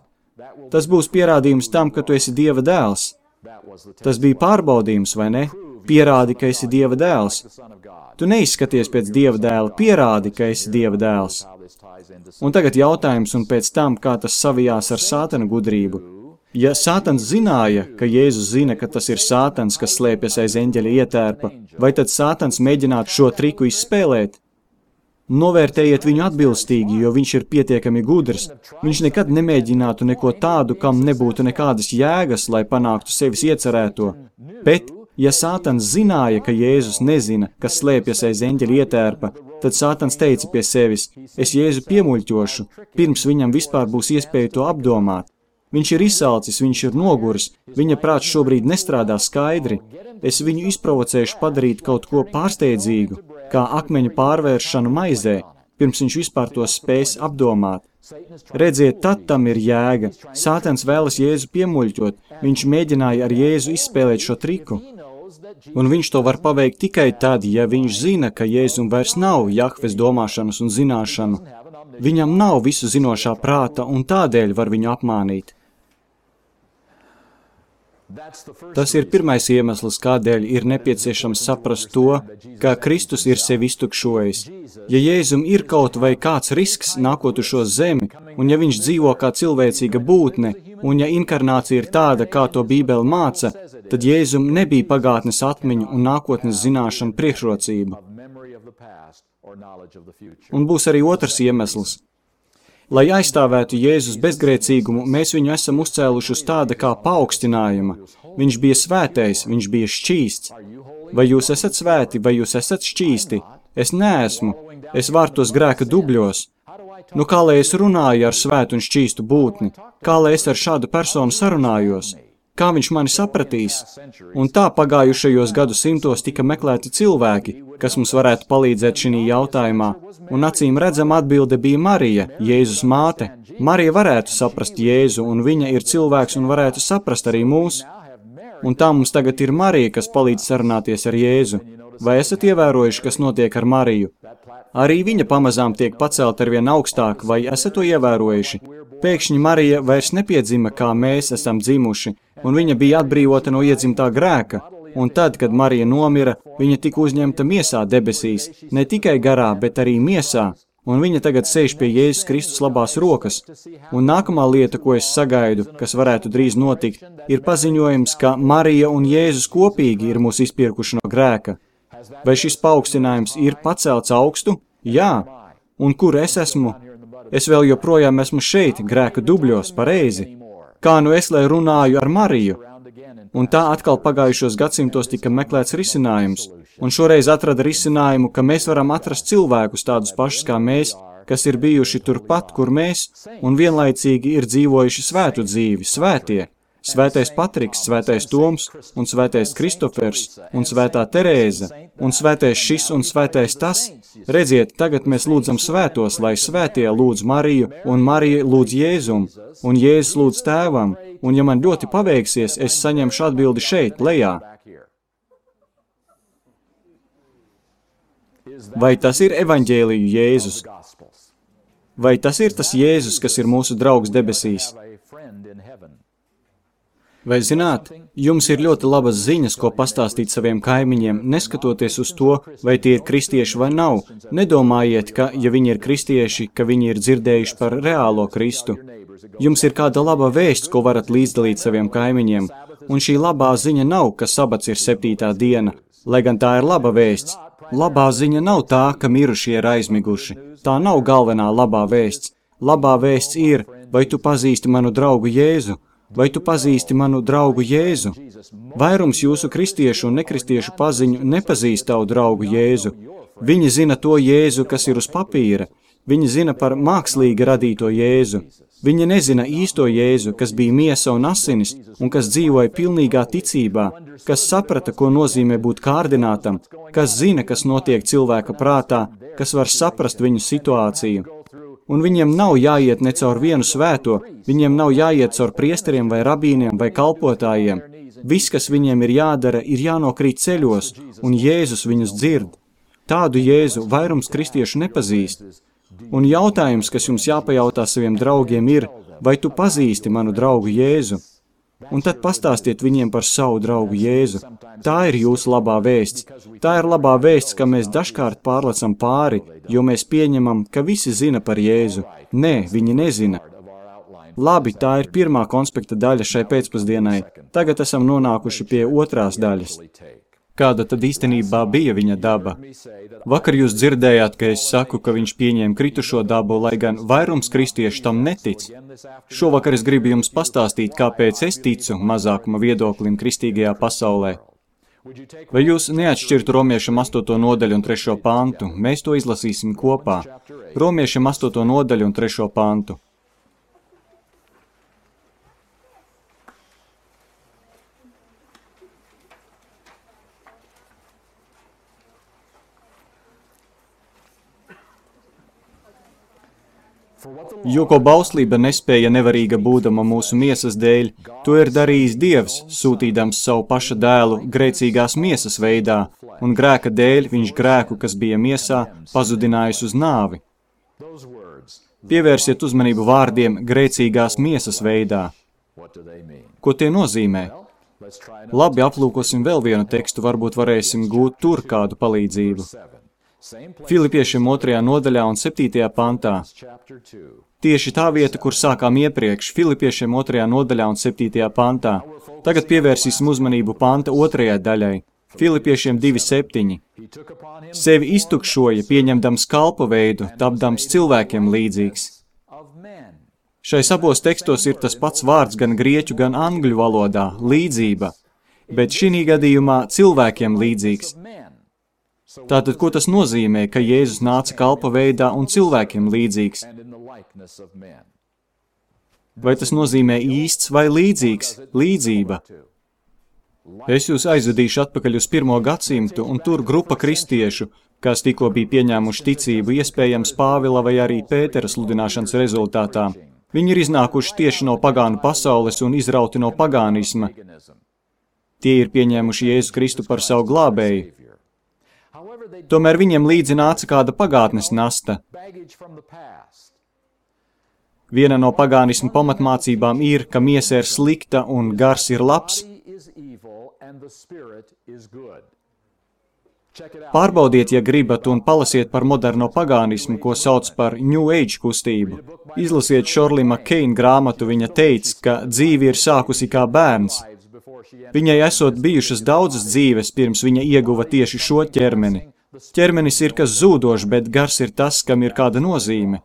Tas būs pierādījums tam, ka tu esi Dieva dēls. Tas bija pārbaudījums, vai ne? Pierādi, ka esi Dieva dēls. Tu neizskaties pēc Dieva dēla, pierādi, ka esi Dieva dēls. Un tagad jautājums un pēc tam, kā tas savijās ar Sātana gudrību. Ja Sātans zināja, ka Jēzus zina, ka tas ir Sātans, kas slēpjas aiz eņģeļa ietērpa, vai tad Sātans mēģinātu šo triku izspēlēt? Novērtējiet viņu atbilstīgi, jo viņš ir pietiekami gudrs. Viņš nekad nemēģinātu neko tādu, kam nebūtu nekādas jēgas, lai panāktu sevis iecerēto. Bet, ja Sātans zināja, ka Jēzus nezina, kas slēpjas aiz eņģeļa ietērpa, tad Sātans teica pie sevis: Es Jēzu piemuļķošu, pirms viņam vispār būs iespēja to apdomāt. Viņš ir izsalcis, viņš ir noguris, viņa prāts šobrīd nestrādā skaidri. Es viņu izprovocēšu padarīt kaut ko pārsteidzīgu, kā akmeņu pārvēršanu maizē, pirms viņš vispār to spēs apdomāt. Redziet, tad tam ir jēga. Sātans vēlas Jēzu piemuļķot, viņš mēģināja ar Jēzu izspēlēt šo triku. Un viņš to var paveikt tikai tad, ja viņš zina, ka Jēzum vairs nav Jahves domāšanas un zināšanu. Viņam nav visu zinošā prāta un tādēļ var viņu apmānīt. Tas ir pirmais iemesls, kādēļ ir nepieciešams saprast to, ka Kristus ir sevi iztukšojis. Ja Jēzum ir kaut vai kāds risks nākot uz šo zemi, un ja viņš dzīvo kā cilvēcīga būtne, un ja inkarnācija ir tāda, kā to Bībele māca, tad Jēzum nebija pagātnes atmiņu un nākotnes zināšanu priekšrocība. Un būs arī otrs iemesls. Lai aizstāvētu Jēzus bezgrēcīgumu, mēs viņu esam uzcēluši uz tāda kā paaugstinājuma. Viņš bija svētais, viņš bija šķīsts. Vai jūs esat svēti, vai jūs esat šķīsti? Es neesmu. Es varu tos grēka dubļos. Nu kā lai es runāju ar svētu un šķīstu būtni? Kā lai es ar šādu personu sarunājos? Kā viņš mani sapratīs? Un tā pagājušajos gadu simtos tika meklēti cilvēki, kas mums varētu palīdzēt šī jautājumā. Un acīm redzam atbilde bija Marija, Jēzus māte. Marija varētu saprast Jēzu, un viņa ir cilvēks un varētu saprast arī mūs. Un tā mums tagad ir Marija, kas palīdz sarunāties ar Jēzu. Vai esat ievērojuši, kas notiek ar Mariju? Arī viņa pamazām tiek pacelt arvien augstāk, vai esat to ievērojuši? Pēkšņi Marija vairs nepiedzima, kā mēs esam dzimuši, un viņa bija atbrīvota no iedzimtā grēka. Un tad, kad Marija nomira, viņa tika uzņemta miesā debesīs, ne tikai garā, bet arī miesā, un viņa tagad sēž pie Jēzus Kristus labās rokas. Un nākamā lieta, ko es sagaidu, kas varētu drīz notikt, ir paziņojums, ka Marija un Jēzus kopīgi ir mūs izpirkuši no grēka. Vai šis paaugstinājums ir pacelts augstu? Jā. Un kur es esmu? Es vēl joprojām esmu šeit, grēka dubļos, pareizi. Kā nu es, lai runāju ar Mariju? Un tā atkal pagājušos gadsimtos tika meklēts risinājums. Un šoreiz atrada risinājumu, ka mēs varam atrast cilvēkus tādus pašus kā mēs, kas ir bijuši turpat, kur mēs, un vienlaicīgi ir dzīvojuši svētu dzīvi, svētie. Svētais Patriks, svētais Toms un svētais Kristofers un svētā Terēza un svētais šis un svētais tas. Redziet, tagad mēs lūdzam svētos, lai svētie lūdz Mariju un Marija lūdz Jēzum un Jēzus lūdz tēvam. Un ja man ļoti paveiksies, es saņemšu atbildi šeit, lejā. Vai tas ir evaņģēliju Jēzus? Vai tas ir tas Jēzus, kas ir mūsu draugs debesīs? Vai zināt, jums ir ļoti labas ziņas, ko pastāstīt saviem kaimiņiem, neskatoties uz to, vai tie ir kristieši vai nav. Nedomājiet, ka, ja viņi ir kristieši, ka viņi ir dzirdējuši par reālo Kristu. Jums ir kāda laba vēsts, ko varat līdzdalīt saviem kaimiņiem, un šī labā ziņa nav, ka sabats ir septītā diena, lai gan tā ir laba vēsts. Labā ziņa nav tā, ka mirušie ir aizmiguši. Tā nav galvenā labā vēsts. Labā vēsts ir, vai tu pazīsti manu draugu Jēzu? Vai tu pazīsti manu draugu Jēzu? Vairums jūsu kristiešu un nekristiešu paziņu nepazīst tavu draugu Jēzu. Viņi zina to Jēzu, kas ir uz papīra. Viņi zina par mākslīgi radīto Jēzu. Viņi nezina īsto Jēzu, kas bija miesa un asinis, un kas dzīvoja pilnīgā ticībā, kas saprata, ko nozīmē būt kārdinātam, kas zina, kas notiek cilvēka prātā, kas var saprast viņu situāciju. Un viņiem nav jāiet ne caur vienu svēto, viņiem nav jāiet caur priesteriem vai rabīniem vai kalpotājiem. Viss, kas viņiem ir jādara, ir jānokrīt ceļos, un Jēzus viņus dzird. Tādu Jēzu vairums kristiešu nepazīst. Un jautājums, kas jums jāpajautā saviem draugiem ir, vai tu pazīsti manu draugu Jēzu? Un tad pastāstiet viņiem par savu draugu Jēzu. Tā ir jūsu labā vēsts. Tā ir labā vēsts, ka mēs dažkārt pārlecam pāri, jo mēs pieņemam, ka visi zina par Jēzu. Nē, viņi nezina. Labi, tā ir pirmā konspekta daļa šai pēcpusdienai. Tagad esam nonākuši pie otrās daļas. Kāda tad īstenībā bija viņa daba? Vakar jūs dzirdējāt, ka es saku, ka viņš pieņēma kritušo dabu, lai gan vairums kristiešu tam netic. Šovakar es gribu jums pastāstīt, kāpēc es ticu mazākuma viedoklim kristīgajā pasaulē. Vai jūs neatšķirtu Romiešiem astoto nodaļu un trešo pantu? Mēs to izlasīsim kopā. Romiešiem astoto nodaļu un trešo pantu. Jo ko bauslība nespēja nevarīga būdama mūsu miesas dēļ, to ir darījis Dievs, sūtīdams savu paša dēlu grēcīgās miesas veidā, un grēka dēļ viņš grēku, kas bija miesā, pazudinājis uz nāvi. Pievērsiet uzmanību vārdiem grēcīgās miesas veidā. Ko tie nozīmē? Labi, aplūkosim vēl vienu tekstu, varbūt varēsim gūt tur kādu palīdzību. Filipiešiem otrajā nodaļā un septītajā pantā. Tieši tā vieta, kur sākām iepriekš, Filipiešiem otrajā nodaļā un septītajā pantā. Tagad pievērsīsim uzmanību panta otrajai daļai. Filipiešiem divi septiņi. Sevi iztukšoja, pieņemdams kalpa veidu, tapdams cilvēkiem līdzīgs. Šais abos tekstos ir tas pats vārds gan grieķu, gan angļu valodā – līdzība, bet šī gadījumā cilvēkiem līdzīgs. Tātad, ko tas nozīmē, ka Jēzus nāca kalpa veidā un cilvēkiem līdzīgs? Vai tas nozīmē īsts vai līdzīgs? Līdzība. Es jūs aizvedīšu atpakaļ uz pirmo gadsimtu, un tur grupa kristiešu, kas tikko bija pieņēmuši ticību, iespējams Pāvila vai arī Pētera sludināšanas rezultātā. Viņi ir iznākuši tieši no pagānu pasaules un izrauti no pagānisma. Tie ir pieņēmuši Jēzu Kristu par savu glābēju. Tomēr viņiem līdzi nāca kāda pagātnes nasta. Viena no pagānisma pamatmācībām ir, ka miesa ir slikta un gars ir labs. Pārbaudiet, ja gribat, un palasiet par moderno pagānismu, ko sauc par New Age kustību. Izlasiet Shirley MacLaine grāmatu, viņa teica, ka dzīve ir sākusi kā bērns. Viņai esot bijušas daudzas dzīves, pirms viņa ieguva tieši šo ķermeni. Ķermenis ir kas zūdošs, bet gars ir tas, kam ir kāda nozīme.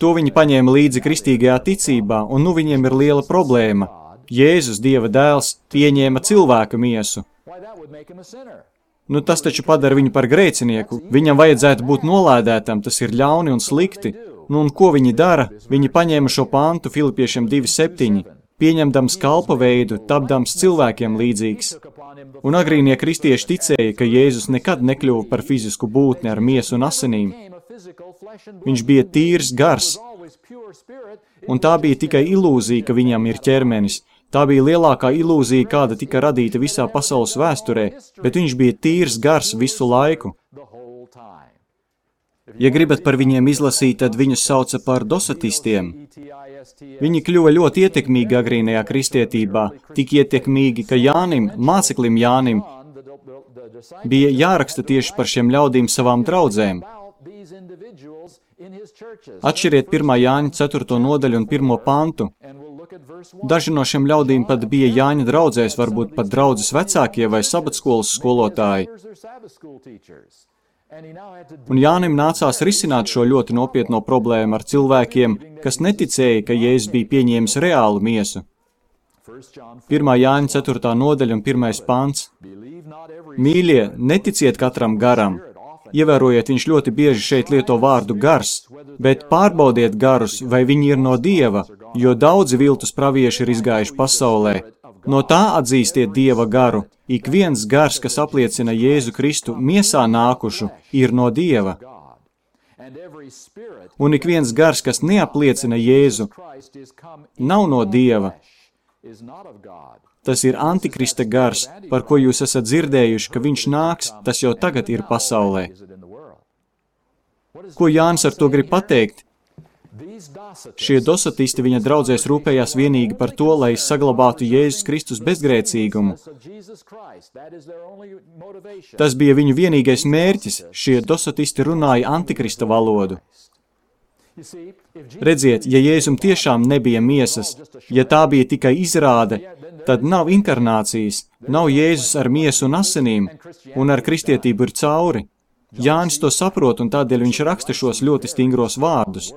To viņi paņēma līdzi kristīgajā ticībā, un nu viņiem ir liela problēma. Jēzus, Dieva dēls, pieņēma cilvēka miesu. Nu, tas taču padara viņu par grēcinieku. Viņam vajadzētu būt nolādētam, tas ir ļauni un slikti. Nu, un ko viņi dara? Viņi paņēma šo pantu Filipiešiem divi septiņi, pieņemdams kalpa veidu, tapdams cilvēkiem līdzīgs. Un agrīnie kristieši ticēja, ka Jēzus nekad nekļuva par fizisku būtni ar miesu un asinīm. Viņš bija tīrs gars, un tā bija tikai ilūzija, ka viņam ir ķermenis. Tā bija lielākā ilūzija, kāda tika radīta visā pasaules vēsturē, bet viņš bija tīrs gars visu laiku. Ja gribat par viņiem izlasīt, tad viņus sauca par dosatistiem. Viņi kļuva ļoti ietekmīgi agrīnajā kristietībā, tik ietekmīgi, ka Jānim, māceklim Jānim, bija jāraksta tieši par šiem ļaudīm savām draudzēm. Atšķiriet pirmā Jāņa ceturto nodaļu un pirmo pantu. Daži no šiem ļaudīm pat bija Jāņa draudzēs, varbūt pat draudzes vecākie vai sabatskolas skolotāji. Un Jānim nācās risināt šo ļoti nopietno problēmu ar cilvēkiem, kas neticēja, ka Jēzus bija pieņēmis reālu miesu. pirmā Jāņa ceturtā nodaļa un pirmais pants. Mīļie, neticiet katram garam. Ievērojiet, viņš ļoti bieži šeit lieto vārdu gars, bet pārbaudiet garus, vai viņi ir no Dieva, jo daudzi viltus pravieši ir izgājuši pasaulē. No tā atzīstiet Dieva garu. Ik viens gars, kas apliecina Jēzu Kristu miesā nākušu, ir no Dieva. Un ik viens gars, kas neapliecina Jēzu, nav no Dieva. Tas ir antikrista gars, par ko jūs esat dzirdējuši, ka viņš nāks, tas jau tagad ir pasaulē. Ko Jānis ar to grib pateikt? Šie dosatisti viņa draudzēs rūpējās vienīgi par to, lai saglabātu Jēzus Kristus bezgrēcīgumu. Tas bija viņu vienīgais mērķis. Šie dosatisti runāja antikrista valodu. Redziet, ja Jēzum tiešām nebija miesas, ja tā bija tikai izrāde, tad nav inkarnācijas, nav Jēzus ar miesu un asinīm, un ar kristietību ir cauri. Jānis to saprot, un tādēļ viņš raksta šos ļoti stingros vārdus.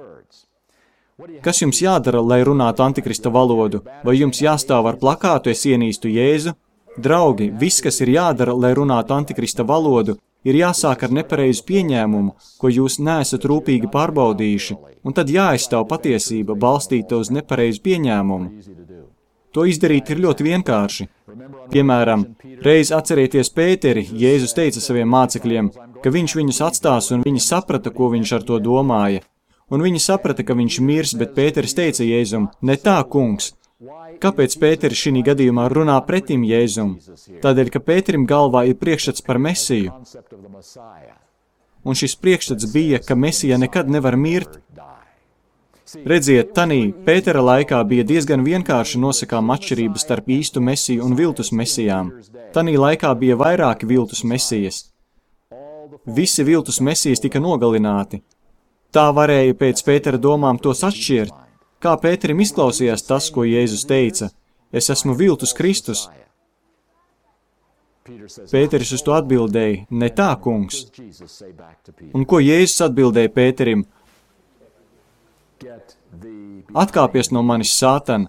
Kas jums jādara, lai runātu antikrista valodu? Vai jums jāstāv ar plakātu, es ienīstu Jēzu? Draugi, viss, kas ir jādara, lai runātu antikrista valodu, ir jāsāk ar nepareizu pieņēmumu, ko jūs neesat rūpīgi pārbaudījuši, un tad jāaizstāv patiesība, balstīta uz nepareizu pieņēmumu. To izdarīt ir ļoti vienkārši. Piemēram, reiz atcerieties Pēteri, Jēzus teica saviem mācekļiem, ka viņš viņus atstās, un viņi saprata, ko viņš ar to domāja. Un viņi saprata, ka viņš mirs, bet Pēteris teica Jēzum, ne tā, kungs. Kāpēc Pēteris šī gadījumā runā pretim Jēzum? Tādēļ, ka Pēterim galvā ir priekšstats par Mesiju. Un šis priekšstats bija, ka Mesija nekad nevar mirt. Redziet, tanī Pētera laikā bija diezgan vienkārši nosakām atšķirības starp īstu Mesiju un viltus Mesijām. Tanī laikā bija vairāki viltus Mesijas. Visi viltus Mesijas tika nogalināti. Tā varēja pēc Pētera domām tos atšķirt. Kā Pēterim izklausījās tas, ko Jēzus teica? Es esmu viltus Kristus. Pēteris uz to atbildēja, ne tā, kungs. Un ko Jēzus atbildēja Pēterim? Atkāpies no manis, Sātan.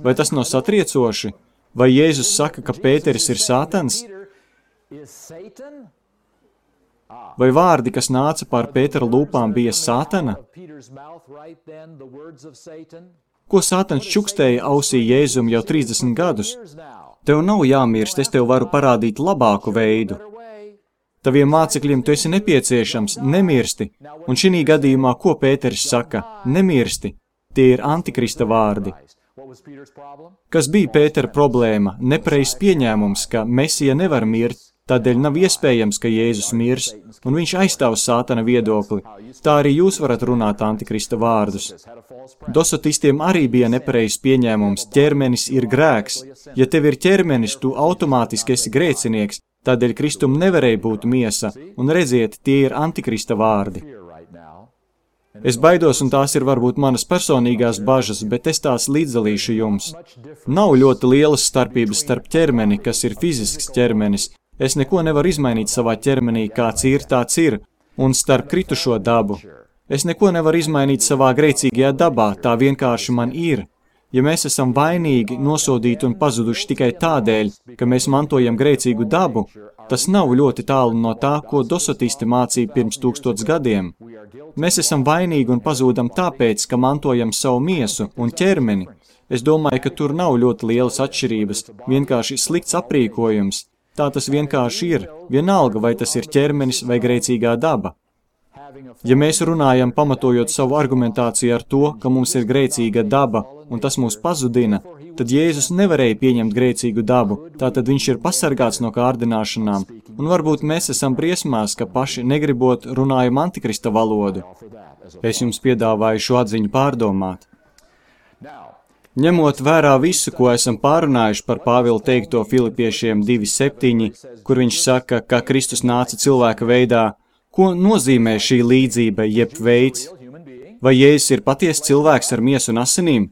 Vai tas nav satriecoši? Vai Jēzus saka, ka Pēteris ir Sātans? Vai vārdi, kas nāca pār Pētera lūpām, bija Sātana? Ko Sātans čukstēja ausī Jēzum jau trīsdesmit gadus? Tev nav jāmirst, es tev varu parādīt labāku veidu. Taviem mācekļiem tu esi nepieciešams, nemirsti. Un šī gadījumā, ko Pēteris saka? Nemirsti. Tie ir antikrista vārdi. Kas bija Pētera problēma? Nepareizs pieņēmums, ka Mesija nevar mirt, tādēļ nav iespējams, ka Jēzus mirs, un viņš aizstāv Sātana viedokli. Tā arī jūs varat runāt antikrista vārdus. Dosotistiem arī bija nepareizs pieņēmums, ķermenis ir grēks. Ja tev ir ķermenis, tu automātiski esi grēcinieks, tādēļ Kristum nevarēja būt miesa, un redziet, tie ir antikrista vārdi. Es baidos, un tās ir varbūt manas personīgās bažas, bet es tās līdzdalīšu jums. Nav ļoti lielas starpības starp ķermeni, kas ir fizisks ķermenis. Es neko nevaru izmainīt savā ķermenī, kāds ir, tāds ir, un starp kritušo dabu. Es neko nevaru izmainīt savā grēcīgajā dabā, tā vienkārši man ir. Ja mēs esam vainīgi, nosodīti un pazuduši tikai tādēļ, ka mēs mantojam grēcīgu dabu, tas nav ļoti tālu no tā, ko dosotisti mācīja pirms tūkstots gadiem. Mēs esam vainīgi un pazūdam tāpēc, ka mantojam savu miesu un ķermeni. Es domāju, ka tur nav ļoti lielas atšķirības, vienkārši slikts aprīkojums. Tā tas vienkārši ir, vienalga, vai tas ir ķermenis vai grēcīgā daba. Ja mēs runājam pamatojot savu argumentāciju ar to, ka mums ir grēcīga daba un tas mūs pazudina, tad Jēzus nevarēja pieņemt grēcīgu dabu, tātad viņš ir pasargāts no kārdināšanām, un varbūt mēs esam briesmās, ka paši negribot runājam antikrista valodu. Es jums piedāvāju šo atziņu pārdomāt. Ņemot vērā visu, ko esam pārunājuši par Pāvila teikto Filipiešiem divi septiņi, kur viņš saka, ka Kristus nāca cilvēka veidā, ko nozīmē šī līdzība jeb veids? Vai Jēzus ir patiesi cilvēks ar miesu un asinīm?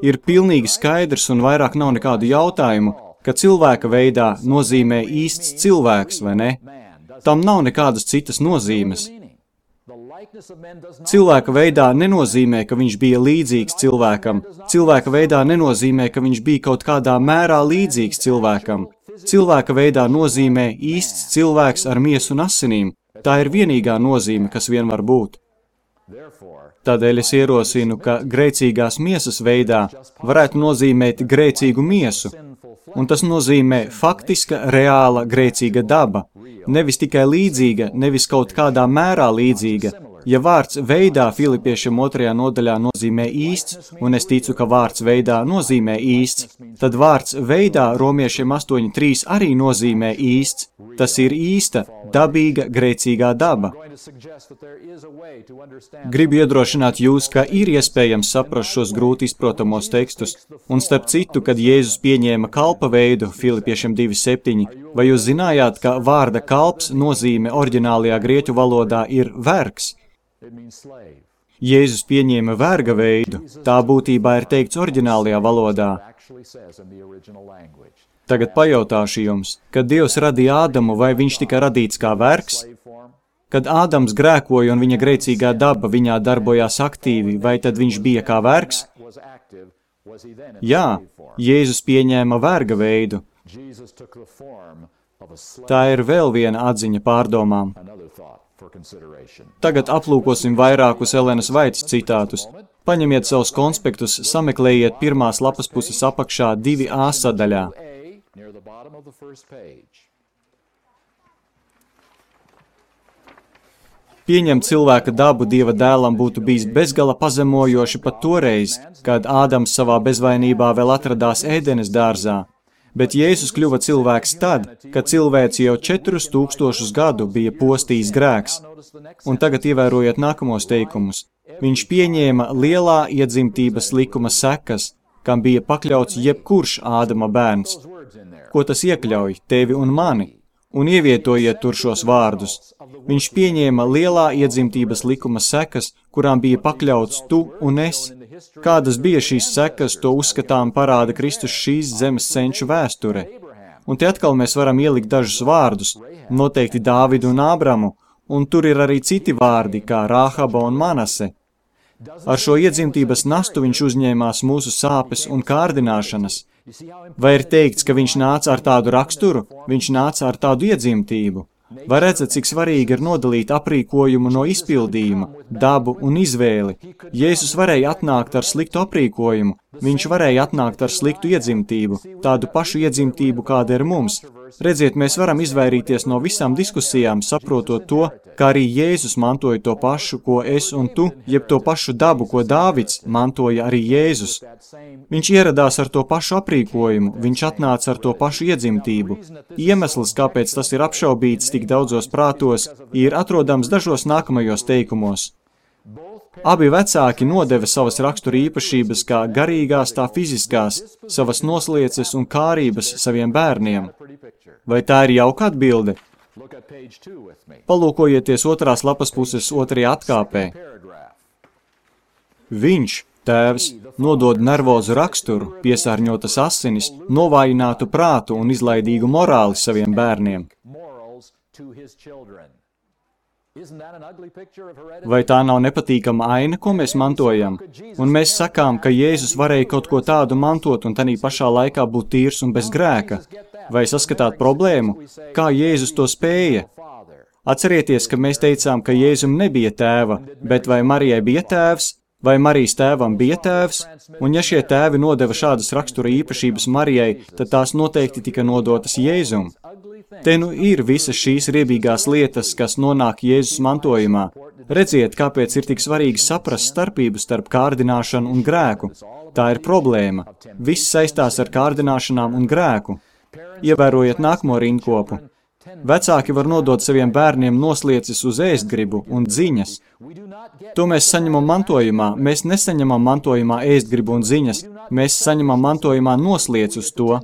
Ir pilnīgi skaidrs un vairāk nav nekādu jautājumu, ka cilvēka veidā nozīmē īsts cilvēks, vai ne? Tam nav nekādas citas nozīmes. Cilvēka veidā nenozīmē, ka viņš bija līdzīgs cilvēkam. Cilvēka veidā nenozīmē, ka viņš bija kaut kādā mērā līdzīgs cilvēkam. Cilvēka veidā nozīmē īsts cilvēks ar miesu un asinīm. Tā ir vienīgā nozīme, kas vien var būt. Tādēļ es ierosinu, ka grēcīgās miesas veidā varētu nozīmēt grēcīgu miesu. Un tas nozīmē faktiska, reāla grēcīga daba. Nevis tikai līdzīga, nevis kaut kādā mērā līdzīga. Ja vārds veidā Filipiešiem otrajā nodaļā nozīmē īsts, un es ticu, ka vārds veidā nozīmē īsts, tad vārds veidā romiešiem astoņi trīs arī nozīmē īsts. Tas ir īsta, dabīga, grēcīgā daba. Gribu iedrošināt jūs, ka ir iespējams saprast šos grūti izprotamos tekstus, un starp citu, kad Jēzus pieņēma kalpa veidu Filipiešiem divi septiņi, vai jūs zinājāt, ka vārda kalps nozīme oriģinālajā grieķu valodā ir vergs? Jēzus pieņēma verga veidu, tā būtībā ir teikts oriģinālajā valodā. Tagad pajautāšu jums, kad Dievs radīja Ādamu, vai viņš tika radīts kā vergs? Kad Ādams grēkoja un viņa grēcīgā daba viņā darbojās aktīvi, vai tad viņš bija kā vergs? Jā, Jēzus pieņēma verga veidu. Tā ir vēl viena atziņa pārdomām. Tagad aplūkosim vairākus Elenas Vaitas citātus. Paņemiet savus konspektus, sameklējiet pirmās lapas puses apakšā divi A sadaļā. Pieņemt cilvēka dabu Dieva dēlam būtu bijis bezgala pazemojoši pat toreiz, kad Ādams savā bezvainībā vēl atradās Ēdenes dārzā. Bet Jēzus kļuva cilvēks tad, kad cilvēks jau četrus tūkstošus gadu bija postījis grēks. Un tagad ievērojiet nākamos teikumus. Viņš pieņēma lielā iedzimtības likuma sekas, kam bija pakļauts jebkurš Ādama bērns. Ko tas iekļauj? Tevi un mani. Un ievietojiet tur šos vārdus. Viņš pieņēma lielā iedzimtības likuma sekas, kurām bija pakļauts tu un es. Kādas bija šīs sekas, to uzskatām parāda Kristus šīs zemes senču vēsture. Un te atkal mēs varam ielikt dažus vārdus, noteikti Dāvidu un Ābramu, un tur ir arī citi vārdi, kā Rāhaba un Manase. Ar šo iedzimtības nastu viņš uzņēmās mūsu sāpes un kārdināšanas. Vai ir teikts, ka viņš nāca ar tādu raksturu? Viņš nāca ar tādu iedzimtību. Vai redzat, cik svarīgi ir nodalīt aprīkojumu no izpildījuma, dabu un izvēli? Jēzus varēja atnākt ar sliktu aprīkojumu, viņš varēja atnākt ar sliktu iedzimtību, tādu pašu iedzimtību, kāda ir mums. Redziet, mēs varam izvairīties no visām diskusijām, saprotot to, ka arī Jēzus mantoja to pašu, ko es un tu, jeb to pašu dabu, ko Dāvids mantoja arī Jēzus. Viņš ieradās ar to pašu aprīkojumu, viņš atnāca ar to pašu iedzimtību. Iemesls, kāpēc tas ir apšaubīts tik daudzos prātos, ir atrodams dažos nākamajos teikumos. Abi vecāki nodeva savas rakstura īpašības kā garīgās, tā fiziskās, savas noslieces un kārības saviem bērniem. Vai tā ir jauka atbilde? Palūkojieties otrās lapas puses otrajā atkāpē. Viņš, tēvs, nodod nervozu raksturu, piesārņotas asinis, novājinātu prātu un izlaidīgu morāli saviem bērniem. Vai tā nav nepatīkama aina, ko mēs mantojam? Un mēs sakām, ka Jēzus varēja kaut ko tādu mantot un tanī pašā laikā būt tīrs un bez grēka. Vai saskatāt problēmu? Kā Jēzus to spēja? Atcerieties, ka mēs teicām, ka Jēzum nebija tēva, bet vai Marijai bija tēvs? Vai Marijas tēvam bija tēvs? Un ja šie tēvi nodeva šādas rakstura īpašības Marijai, tad tās noteikti tika nodotas Jēzum. Te nu ir visas šīs riebīgās lietas, kas nonāk Jēzus mantojumā. Redziet, kāpēc ir tik svarīgi saprast starpību starp kārdināšanu un grēku. Tā ir problēma. Viss saistās ar kārdināšanām un grēku. Ievērojiet nākamo rindkopu. Vecāki var nodot saviem bērniem nosliecis uz ēstgribu un dziņas. To mēs saņemam mantojumā. Mēs nesaņemam mantojumā ēstgribu un ziņas. Mēs saņemam mantojumā nosliec uz to.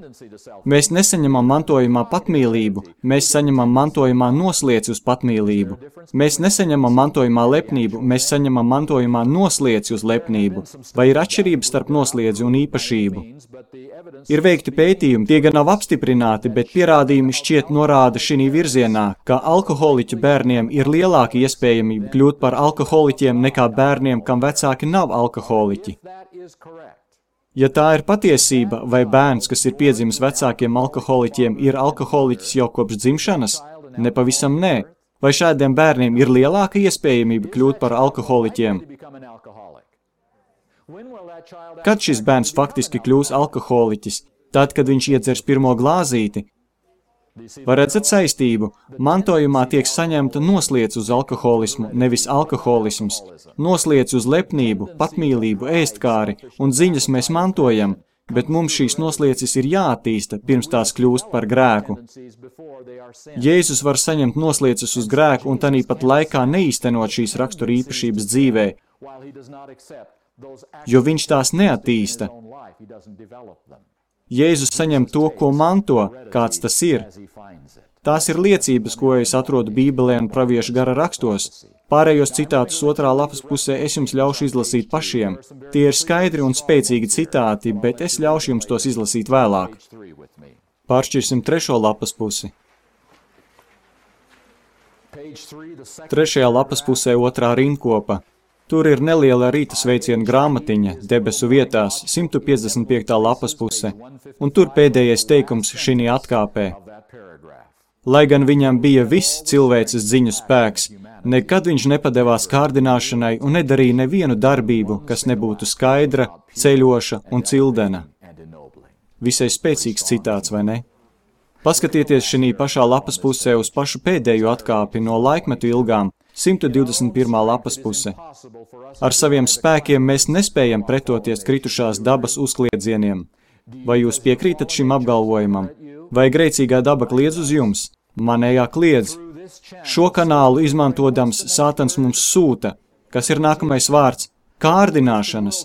Mēs nesaņemam mantojumā patmīlību. Mēs saņemam mantojumā nosliec uz patmīlību. Mēs nesaņemam mantojumā lepnību. Mēs saņemam mantojumā nosliec uz lepnību. Vai ir atšķirība starp nosliedzi un īpašību? Ir veikti pētījumi, tie gan nav apstiprināti, bet pierādījumi šķiet norāda šī virzienā, ka alkoholiķu bērniem ir lielāka iespējamība kļūt par alkoholiķiem nekā bērniem, kam vecāki nav alkoholiķi. Ja tā ir patiesība, vai bērns, kas ir piedzimis vecākiem alkoholiķiem, ir alkoholiķis jau kopš dzimšanas? Nepavisam nē. Vai šādiem bērniem ir lielāka iespējamība kļūt par alkoholiķiem? Kad šis bērns faktiski kļūs alkoholiķis? Tad, kad viņš iedzers pirmo glāzīti? Vai redzat saistību? Mantojumā tiek saņemta nosliec uz alkoholismu, nevis alkoholisms. Nosliec uz lepnību, patmīlību, ēstkāri un ziņas mēs mantojam, bet mums šīs noslieces ir jāattīsta, pirms tās kļūst par grēku. Jēzus var saņemt noslieces uz grēku un tanīpat laikā neīstenot šīs rakstura īpašības dzīvē, jo viņš tās neattīsta. Jēzus saņem to, ko manto, kāds tas ir. Tās ir liecības, ko es atrodu Bībelē un praviešu gara rakstos. Pārējos citātus otrā lapas pusē es jums ļaušu izlasīt pašiem. Tie ir skaidri un spēcīgi citāti, bet es ļaušu jums tos izlasīt vēlāk. Pāršķirsim trešo lapas pusi. Trešajā lapas pusē otrā rindkopa. Tur ir neliela rīta sveiciena grāmatiņa, debesu vietās, simt piecdesmit piektā lapas puse, un tur pēdējais teikums šī atkāpē. Lai gan viņam bija viss cilvēces ziņu spēks, nekad viņš nepadevās kārdināšanai un nedarīja nevienu darbību, kas nebūtu skaidra, ceļoša un cildena. Visai spēcīgs citāts, vai ne? Paskatieties šī pašā lapas pusē uz pašu pēdējo atkāpi no laikmetu ilgām, simt divdesmit pirmā lapas puse. Ar saviem spēkiem mēs nespējam pretoties kritušās dabas uzkliedzieniem. Vai jūs piekrītat šim apgalvojumam? Vai grēcīgā daba kliedz uz jums? Manējā kliedz. Šo kanālu izmantodams Sātans mums sūta, kas ir nākamais vārds – kārdināšanas.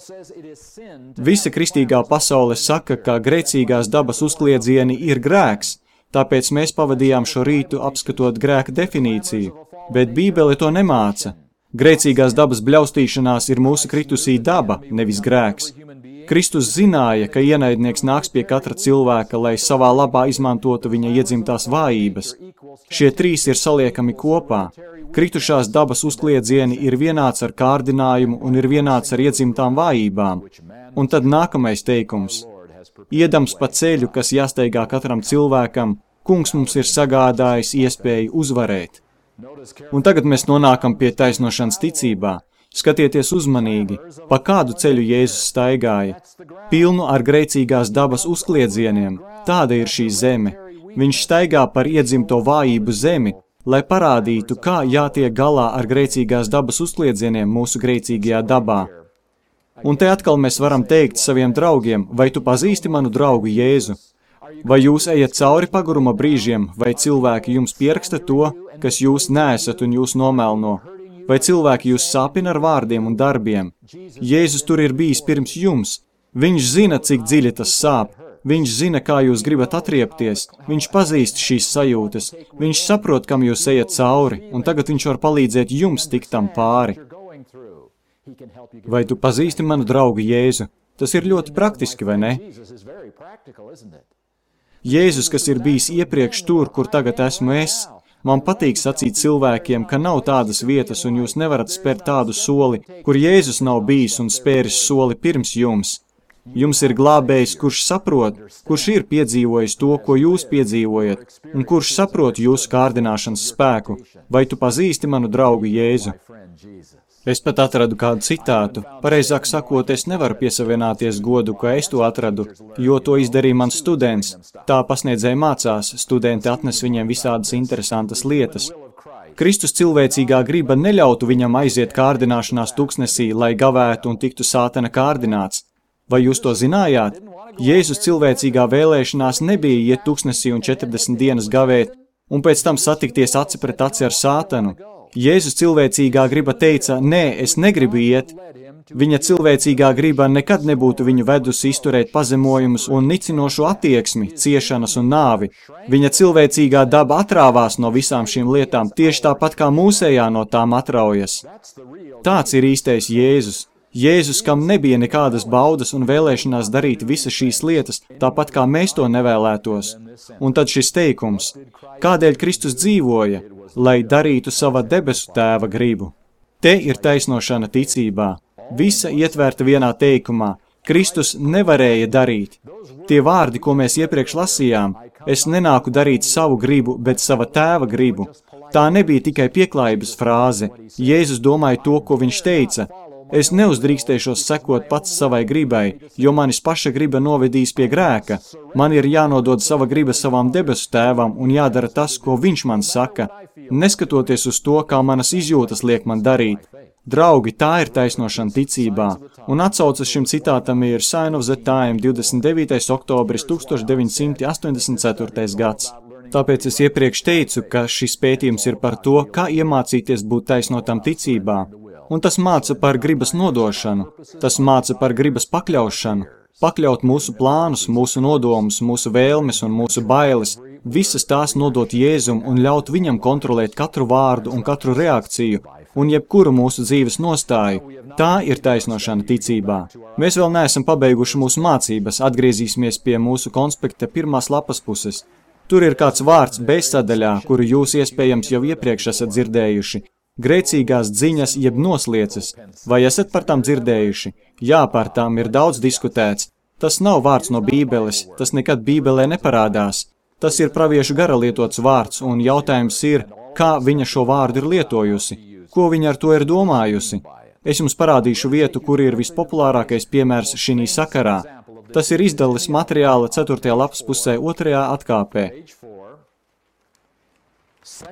Visa kristīgā pasaule saka, ka grēcīgās dabas uzkliedzieni ir grēks, tāpēc mēs pavadījām šo rītu apskatot grēka definīciju. Bet Bībele to nemāca. Grēcīgās dabas bļaustīšanās ir mūsu kritusī daba, nevis grēks. Kristus zināja, ka ienaidnieks nāks pie katra cilvēka, lai savā labā izmantotu viņa iedzimtās vājības. Šie trīs ir saliekami kopā. Kritušās dabas uzkliedzieni ir vienāds ar kārdinājumu un ir vienāds ar iedzimtām vājībām. Un tad nākamais teikums. Iedams pa ceļu, kas jāsteigā katram cilvēkam, Kungs mums ir sagādājis iespēju uzvarēt. Un tagad mēs nonākam pie taisnošanas ticībā. Skatieties uzmanīgi, pa kādu ceļu Jēzus staigāja. Pilnu ar grēcīgās dabas uzkliedzieniem. Tāda ir šī zeme. Viņš staigā par iedzimto vājību zemi, lai parādītu, kā jātiek galā ar grēcīgās dabas uzkliedzieniem mūsu grēcīgajā dabā. Un te atkal mēs varam teikt saviem draugiem, vai tu pazīsti manu draugu Jēzu? Vai jūs ejat cauri paguruma brīžiem, vai cilvēki jums pieraksta to, kas jūs neesat un jūs nomelno? Vai cilvēki jūs sāpina ar vārdiem un darbiem? Jēzus tur ir bijis pirms jums. Viņš zina, cik dziļi tas sāp. Viņš zina, kā jūs gribat atriepties. Viņš pazīst šīs sajūtas. Viņš saprot, kam jūs ejat cauri, un tagad viņš var palīdzēt jums tikt tam pāri. Vai tu pazīsti manu draugu Jēzu? Tas ir ļoti praktiski, vai ne? Jēzus, kas ir bijis iepriekš tur, kur tagad esmu es, man patīk sacīt cilvēkiem, ka nav tādas vietas un jūs nevarat spērt tādu soli, kur Jēzus nav bijis un spēris soli pirms jums. Jums ir glābējs, kurš saprot, kurš ir piedzīvojis to, ko jūs piedzīvojat, un kurš saprot jūsu kārdināšanas spēku. Vai tu pazīsti manu draugu Jēzu? Es pat atradu kādu citātu. Pareizāk sakot, es nevaru piesavienoties godu, ka es to atradu, jo to izdarīja mans students. Tā pasniedzēja mācās, studenti atnes viņiem visādas interesantas lietas. Kristus cilvēcīgā griba neļautu viņam aiziet kārdināšanās tuksnesī, lai gavētu un tiktu sātana kārdināts. Vai jūs to zinājāt? Jēzus cilvēcīgā vēlēšanās nebija iet tuksnesī un četrdesmit dienas gavēt, un pēc tam satikties aci pret aci ar sātanu. Jēzus cilvēcīgā griba teica, nē, es negribu iet. Viņa cilvēcīgā griba nekad nebūtu viņu vedusi izturēt pazemojumus un nicinošu attieksmi, ciešanas un nāvi. Viņa cilvēcīgā daba atrāvās no visām šīm lietām, tieši tāpat kā mūsējā no tām atraujas. Tāds ir īstais Jēzus. Jēzus, kam nebija nekādas baudas un vēlēšanās darīt visas šīs lietas, tāpat kā mēs to nevēlētos. Un tad šis teikums, kādēļ Kristus dzīvoja, lai darītu sava debesu tēva gribu. Te ir taisnošana ticībā. Visa ietverta vienā teikumā. Kristus nevarēja darīt. Tie vārdi, ko mēs iepriekš lasījām, es nenāku darīt savu gribu, bet sava tēva gribu. Tā nebija tikai pieklājības frāze. Jēzus domāja to, ko viņš teica. Es neuzdrīkstēšos sekot pats savai gribai, jo manis paša griba novedīs pie grēka. Man ir jānodod sava griba savam debesu tēvam un jādara tas, ko viņš man saka, neskatoties uz to, kā manas izjūtas liek man darīt. Draugi, tā ir taisnošana ticībā, un atsaucas šim citātam ir Sign of the Time, divdesmit devītais oktobris tūkstoš deviņi simti astoņdesmit ceturtais gads. Tāpēc es iepriekš teicu, ka šis pētījums ir par to, kā iemācīties būt taisnotam ticībā. Un tas māca par gribas nodošanu, tas māca par gribas pakļaušanu, pakļaut mūsu plānus, mūsu nodomus, mūsu vēlmes un mūsu bailes, visas tās nodot Jēzum un ļaut viņam kontrolēt katru vārdu un katru reakciju un jebkuru mūsu dzīves nostāju. Tā ir taisnošana ticībā. Mēs vēl neesam pabeiguši mūsu mācības, atgriezīsimies pie mūsu konspekta pirmās lapas puses. Tur ir kāds vārds bezsadaļā, kuru jūs iespējams jau iepriekš esat dzirdējuši. Grēcīgās dziņas jeb noslieces. Vai esat par tām dzirdējuši? Jā, par tām ir daudz diskutēts. Tas nav vārds no Bībeles, tas nekad Bībelē neparādās. Tas ir praviešu gara lietots vārds, un jautājums ir, kā viņa šo vārdu ir lietojusi, ko viņa ar to ir domājusi. Es jums parādīšu vietu, kur ir vispopulārākais piemērs šī sakarā. Tas ir izdalis materiāla ceturtajā lapas pusē, otrajā atkāpē.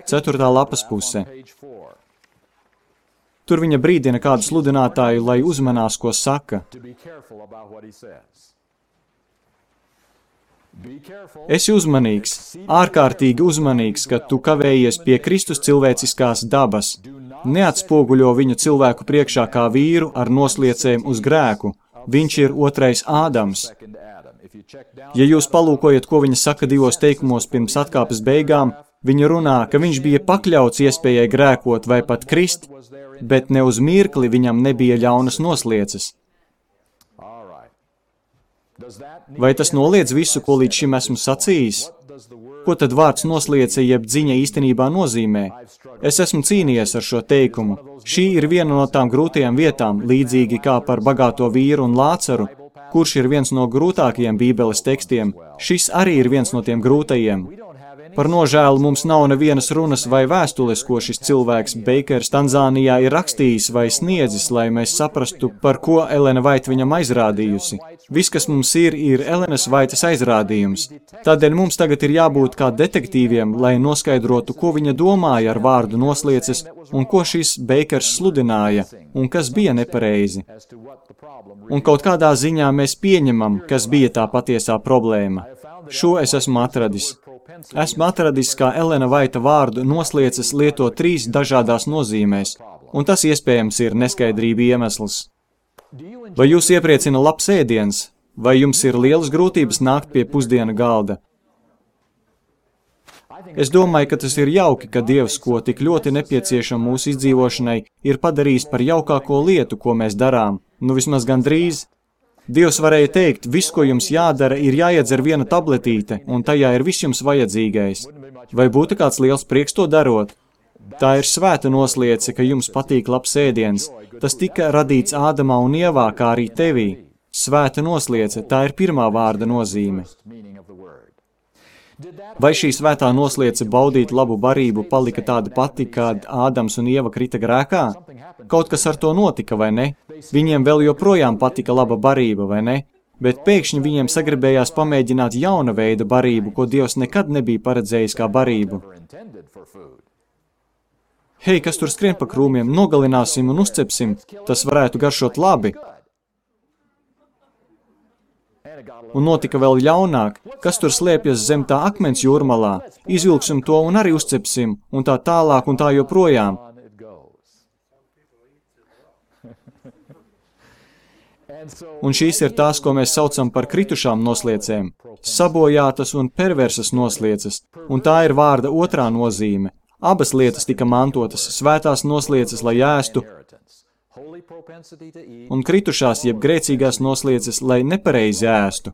Ceturtā lapas puse. Tur viņa brīdina kādu sludinātāju, lai uzmanās, ko saka. Esi uzmanīgs, ārkārtīgi uzmanīgs, ka tu kavējies pie Kristus cilvēciskās dabas. Neatspoguļo viņu cilvēku priekšā kā vīru ar nosliecēm uz grēku. Viņš ir otrais Ādams. Ja jūs palūkojat, ko viņa saka divos teikumos pirms atkāpes beigām, viņa runā, ka viņš bija pakļauts iespējai grēkot vai pat krist, bet ne uz mirkli viņam nebija ļaunas noslieces. Vai tas noliedz visu, ko līdz šim esmu sacījis? Ko tad vārds noslieca jeb dziņa īstenībā nozīmē? Es esmu cīnījies ar šo teikumu. Šī ir viena no tām grūtajām vietām, līdzīgi kā par bagāto vīru un Lācaru, kurš ir viens no grūtākajiem Bībeles tekstiem. Šis arī ir viens no tiem grūtajiem. Par nožēlu mums nav nevienas runas vai vēstules, ko šis cilvēks Beikers Tanzānijā ir rakstījis vai sniedzis, lai mēs saprastu, par ko Elena Vaita viņam aizrādījusi. Viss, kas mums ir, ir Elenas Vaitas aizrādījums. Tādēļ mums tagad ir jābūt kā detektīviem, lai noskaidrotu, ko viņa domāja ar vārdu noslieces un ko šis Beikers sludināja un kas bija nepareizi. Un kaut kādā ziņā mēs pieņemam, kas bija tā patiesā problēma. Šo es esmu atradis. Esmu atradis, kā Elena Vaita vārdu noslieces lieto trīs dažādās nozīmēs, un tas iespējams ir neskaidrība iemesls. Vai jūs iepriecina labs ēdiens, vai jums ir lielas grūtības nākt pie pusdiena galda? Es domāju, ka tas ir jauki, ka Dievs, ko tik ļoti nepieciešam mūsu izdzīvošanai, ir padarījis par jaukāko lietu, ko mēs darām, nu vismaz gandrīz. Dievs varēja teikt, viss, ko jums jādara, ir jāiedzer viena tabletīte, un tajā ir viss jums vajadzīgais. Vai būtu kāds liels prieks to darot? Tā ir svēta nosliece, ka jums patīk labs ēdiens. Tas tika radīts Ādamā un Ievā, kā arī tevī. Svēta nosliece, tā ir pirmā vārda nozīme. Vai šī svētā nosliece baudīt labu barību palika tāda pati, kad Ādams un Ieva krita grēkā? Kaut kas ar to notika, vai ne? Viņiem vēl joprojām patika laba barība, vai ne? Bet pēkšņi viņiem sagribējās pamēģināt jauna veida barību, ko Dievs nekad nebija paredzējis kā barību. Hei, kas tur skrien pa krūmiem, nogalināsim un uzcepsim, tas varētu garšot labi. Un notika vēl ļaunāk, kas tur slēpjas zem tā akmens jūrmalā, izvilksim to un arī uzcepsim, un tā tālāk un tā joprojām. Un šīs ir tās, ko mēs saucam par kritušām nosliecēm, sabojātas un perversas noslieces, un tā ir vārda otrā nozīme. Abas lietas tika mantotas, svētās noslieces, lai ēstu, un kritušās jeb grēcīgās noslieces, lai nepareizi ēstu.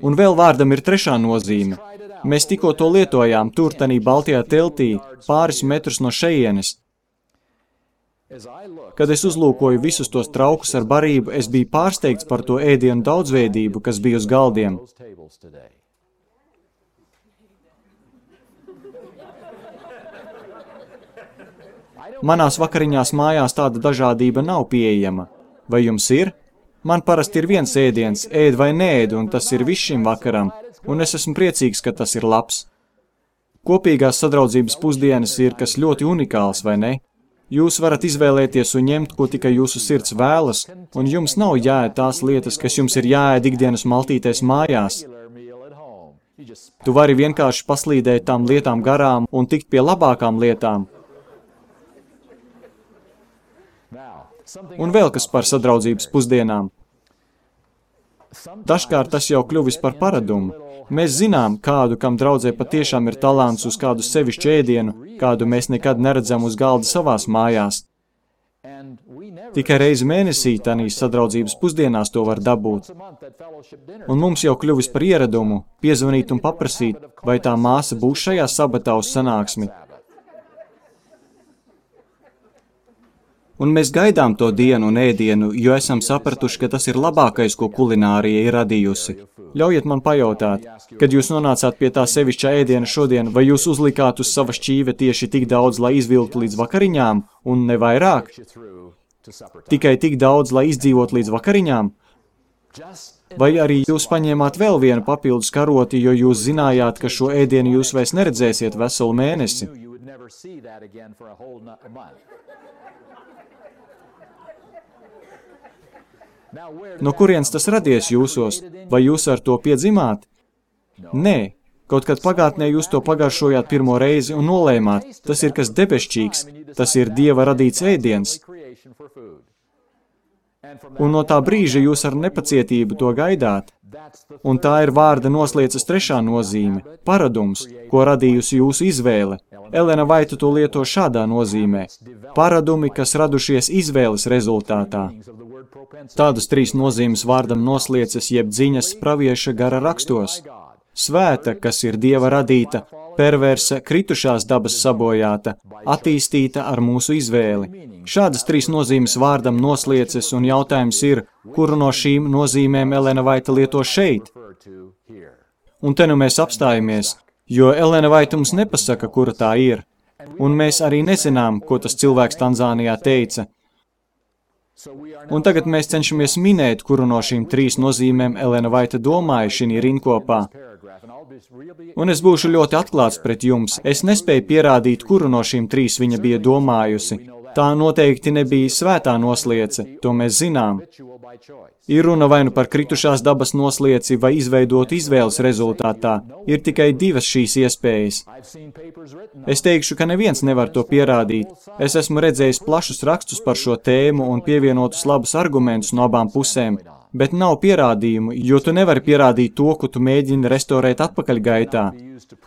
Un vēl vārdam ir trešā nozīme. Mēs tikko to lietojām tur, tanī Baltajā teltī, pāris metrus no šejienes. Kad es uzlūkoju visus tos traukus ar barību, es biju pārsteigts par to ēdienu daudzveidību, kas bija uz galdiem. Manās vakariņās mājās tāda dažādība nav pieejama. Vai jums ir? Man parasti ir viens ēdiens, ēd vai neēd, un tas ir viss šim vakaram, un es esmu priecīgs, ka tas ir labs. Kopīgās sadraudzības pusdienas ir kas ļoti unikāls, vai ne? Jūs varat izvēlēties un ņemt, ko tikai jūsu sirds vēlas, un jums nav jāēd tās lietas, kas jums ir jāēd ikdienas maltītēs mājās. Tu vari vienkārši paslīdēt tām lietām garām un tikt pie labākām lietām. Un vēl kas par sadraudzības pusdienām. Dažkārt tas jau kļuvis par paradumu. Mēs zinām, kādu, kam draudzē patiešām ir talants uz kādu sevišķu ēdienu, kādu mēs nekad neredzam uz galda savās mājās. Tikai reizi mēnesī tanīs sadraudzības pusdienās to var dabūt. Un mums jau kļuvis par ieradumu piezvanīt un paprasīt, vai tā māsa būs šajā sabatā uz sanāksmi. Un mēs gaidām to dienu un ēdienu, jo esam sapratuši, ka tas ir labākais, ko kulinārija ir radījusi. Ļaujiet man pajautāt, kad jūs nonācāt pie tā sevišķā ēdiena šodien, vai jūs uzlikāt uz sava šķīve tieši tik daudz, lai izvilktu līdz vakariņām, un ne vairāk? Tikai tik daudz, lai izdzīvot līdz vakariņām? Vai arī jūs paņēmāt vēl vienu papildus karoti, jo jūs zinājāt, ka šo ēdienu jūs vairs neredzēsiet veselu mēnesi? No kurienes tas radies jūsos? Vai jūs ar to piedzimāt? Nē, kaut kad pagātnē jūs to pagaršojāt pirmo reizi un nolēmāt. Tas ir kas debešķīgs, tas ir Dieva radīts ēdiens. Un no tā brīža jūs ar nepacietību to gaidāt. Un tā ir vārda noslieces trešā nozīme – paradums, ko radījusi jūsu izvēle. Elena Vaita to lieto šādā nozīmē – paradumi, kas radušies izvēles rezultātā. Tādas trīs nozīmes vārdam noslieces jeb dziņas pravieša gara rakstos. Svēta, kas ir Dieva radīta, perversa, kritušās dabas sabojāta, attīstīta ar mūsu izvēli. Šādas trīs nozīmes vārdam noslieces, un jautājums ir, kuru no šīm nozīmēm Elena Vaita lieto šeit? Un te nu mēs apstājamies, jo Elena Vaita mums nepasaka, kura tā ir. Un mēs arī nezinām, ko tas cilvēks Tanzānijā teica. Un tagad mēs cenšamies minēt, kuru no šīm trīs nozīmēm Elena Vaita domāja šī rinkopā. Un es būšu ļoti atklāts pret jums. Es nespēju pierādīt, kuru no šīm trīs viņa bija domājusi. Tā noteikti nebija svētā nosliece, to mēs zinām. Ir runa vai nu par kritušās dabas noslieci vai izveidotu izvēles rezultātā. Ir tikai divas šīs iespējas. Es teikšu, ka neviens nevar to pierādīt. Es esmu redzējis plašus rakstus par šo tēmu un pievienotus labus argumentus no abām pusēm, bet nav pierādījumu, jo tu nevari pierādīt to, ko tu mēģini restorēt atpakaļgaitā.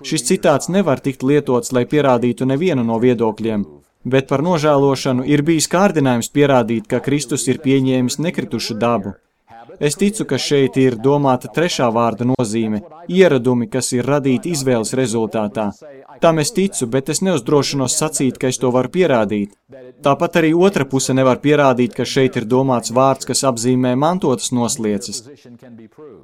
Šis citāts nevar tikt lietots, lai pierādītu nevienu no viedokļiem. Bet par nožēlošanu ir bijis kārdinājums pierādīt, ka Kristus ir pieņēmis nekritušu dabu. Es ticu, ka šeit ir domāta trešā vārda nozīme – ieradumi, kas ir radīti izvēles rezultātā. Tam es ticu, bet es neuzdrošinos sacīt, ka es to varu pierādīt. Tāpat arī otra puse nevar pierādīt, ka šeit ir domāts vārds, kas apzīmē mantotas noslieces.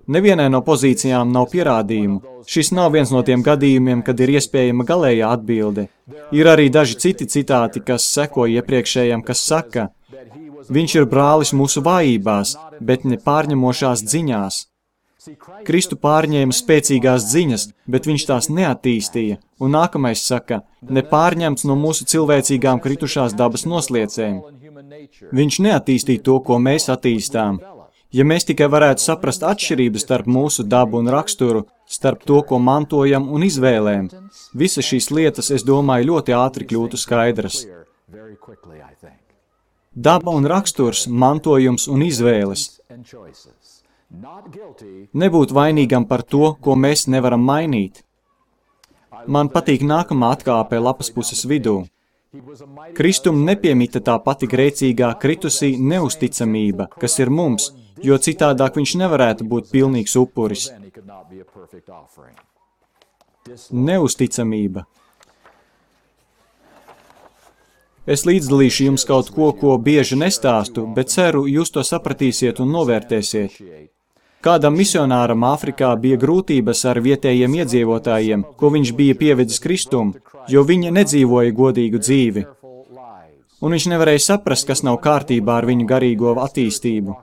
Nevienai no pozīcijām nav pierādījumu. Šis nav viens no tiem gadījumiem, kad ir iespējama galējā atbilde. Ir arī daži citi citāti, kas seko iepriekšējiem, kas saka, viņš ir brālis mūsu vājībās, bet ne pārņemošās dziņās. Kristu pārņēma spēcīgās dziņas, bet viņš tās neattīstīja, un nākamais saka, nepārņemts no mūsu cilvēcīgām kritušās dabas nosliecēm. Viņš neattīstīja to, ko mēs attīstām. Ja mēs tikai varētu saprast atšķirības starp mūsu dabu un raksturu, starp to, ko mantojam un izvēlēm, visas šīs lietas, es domāju, ļoti ātri kļūtu skaidras. Daba un raksturs, mantojums un izvēles. Nebūt vainīgam par to, ko mēs nevaram mainīt. Man patīk nākamā atkāpe lapas puses vidū. Kristum nepiemita tā pati grēcīgā kritusī neusticamība, kas ir mums, jo citādāk viņš nevarētu būt pilnīgs upuris. Neusticamība. Es līdzdalīšu jums kaut ko, ko bieži nestāstu, bet ceru, jūs to sapratīsiet un novērtēsiet. Kādam misionāram Āfrikā bija grūtības ar vietējiem iedzīvotājiem, ko viņš bija pievedis Kristum, jo viņi nedzīvoja godīgu dzīvi. Un viņš nevarēja saprast, kas nav kārtībā ar viņu garīgo attīstību.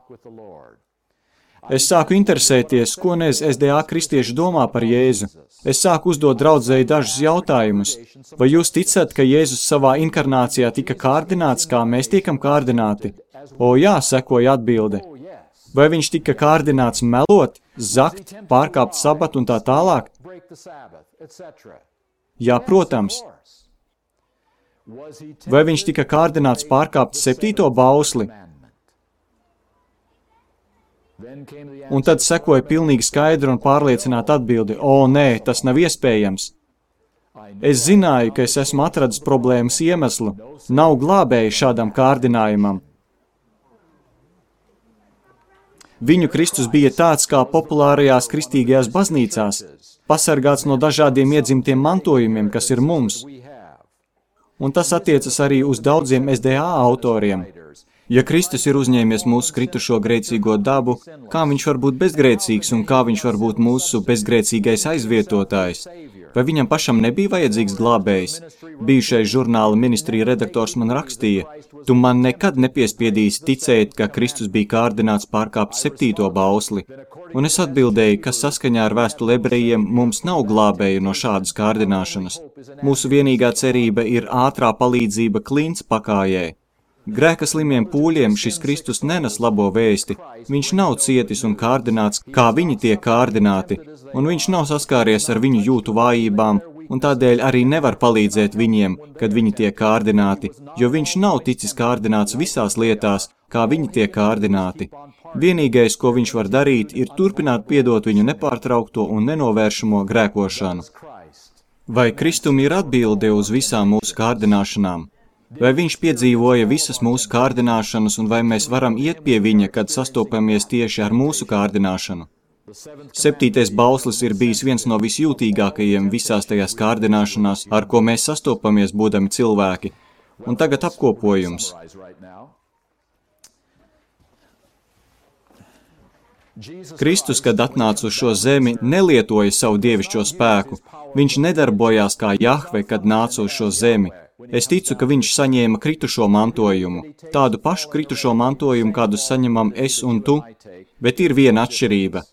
Es sāku interesēties, ko nez S D A kristieši domā par Jēzu. Es sāku uzdot draudzēji dažus jautājumus. Vai jūs ticat, ka Jēzus savā inkarnācijā tika kārdināts, kā mēs tiekam kārdināti? O jā, sekoja atbilde. Vai viņš tika kārdināts melot, zakt, pārkāpt sabatu un tā tālāk? Jā, protams. Vai viņš tika kārdināts pārkāpt septīto bausli? Un tad sekoja pilnīgi skaidra un pārliecināta atbildi, o nē, tas nav iespējams. Es zināju, ka es esmu atradis problēmas iemeslu, nav glābēji šādam kārdinājumam. Viņu Kristus bija tāds kā populārajās kristīgajās baznīcās, pasargāts no dažādiem iedzimtiem mantojumiem, kas ir mums. Un tas attiecas arī uz daudziem S D A autoriem. Ja Kristus ir uzņēmies mūsu kritušo grēcīgo dabu, kā viņš var būt bezgrēcīgs un kā viņš var būt mūsu bezgrēcīgais aizvietotājs? Vai viņam pašam nebija vajadzīgs glābējs? Bijušais žurnāla ministrija redaktors man rakstīja, tu man nekad nepiespiedīsi ticēt, ka Kristus bija kārdināts pārkāpt septīto bausli. Un es atbildēju, ka saskaņā ar vēstuli ebrejiem mums nav glābēju no šādas kārdināšanas. Mūsu vienīgā cerība ir ātrā palīdzība klints pakājē. Grēka slimiem pūļiem šis Kristus nenes labo vēsti. Viņš nav cietis un kārdināts, kā viņi tiek kārdināti, un viņš nav saskāries ar viņu jūtu vājībām, un tādēļ arī nevar palīdzēt viņiem, kad viņi tiek kārdināti, jo viņš nav ticis kārdināts visās lietās, kā viņi tiek kārdināti. Vienīgais, ko viņš var darīt, ir turpināt piedot viņu nepārtraukto un nenovēršamo grēkošanu. Vai Kristum ir atbilde uz visām mūsu kārdināšanām? Vai viņš piedzīvoja visas mūsu kārdināšanas, un vai mēs varam iet pie viņa, kad sastopamies tieši ar mūsu kārdināšanu? Septītais bauslis ir bijis viens no visjūtīgākajiem visās tajās kārdināšanās, ar ko mēs sastopamies, būdami cilvēki. Un tagad apkopojums. Kristus, kad atnāca uz šo zemi, nelietoja savu dievišķo spēku. Viņš nedarbojās kā Jahve, kad nāca uz šo zemi. Es ticu, ka viņš saņēma kritušo mantojumu, tādu pašu kritušo mantojumu, kādu saņemam es un tu, bet ir viena atšķirība.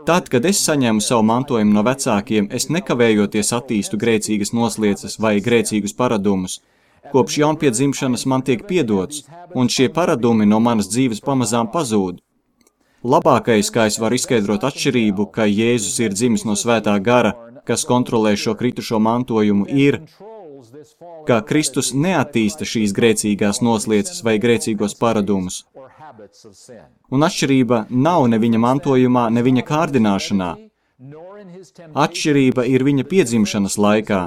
Tad, kad es saņēmu savu mantojumu no vecākiem, es nekavējoties attīstu grēcīgas nosliecas vai grēcīgus paradumus. Kopš jaunpiedzimšanas man tiek piedots, un šie paradumi no manas dzīves pamazām pazūd. Labākais, kā es varu izskaidrot atšķirību, ka Jēzus ir dzimis no svētā gara, kas kontrolē šo kritušo mantojumu, ir, ka Kristus neattīsta šīs grēcīgās nosliecas vai grēcīgos paradumus. Un atšķirība nav ne viņa mantojumā, ne viņa kārdināšanā. Atšķirība ir viņa piedzimšanas laikā.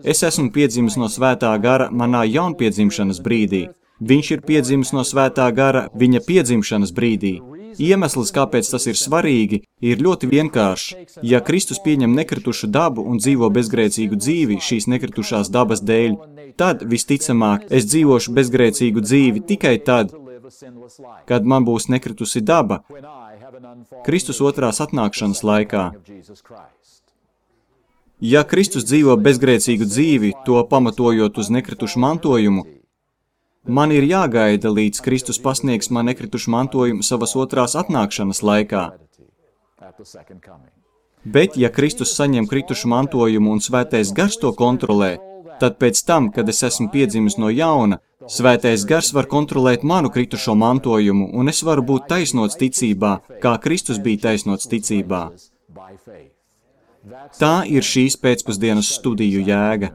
Es esmu piedzimis no svētā gara manā jaunpiedzimšanas brīdī. Viņš ir piedzimis no svētā gara viņa piedzimšanas brīdī. Iemesls, kāpēc tas ir svarīgi, ir ļoti vienkāršs. Ja Kristus pieņem nekritušu dabu un dzīvo bezgrēcīgu dzīvi šīs nekritušās dabas dēļ, tad, visticamāk, es dzīvošu bezgrēcīgu dzīvi tikai tad, kad man būs nekritusi daba, Kristus otrās atnākšanas laikā. Ja Kristus dzīvo bezgrēcīgu dzīvi, to pamatojot uz nekritušu mantojumu, man ir jāgaida, līdz Kristus pasniegs man nekritušu mantojumu savas otrās atnākšanas laikā. Bet, ja Kristus saņem kritušu mantojumu un svētais gars to kontrolē, tad pēc tam, kad es esmu piedzimis no jauna, svētais gars var kontrolēt manu kritušo mantojumu, un es varu būt taisnots ticībā, kā Kristus bija taisnots ticībā. Tā ir šīs pēcpusdienas studiju jēga.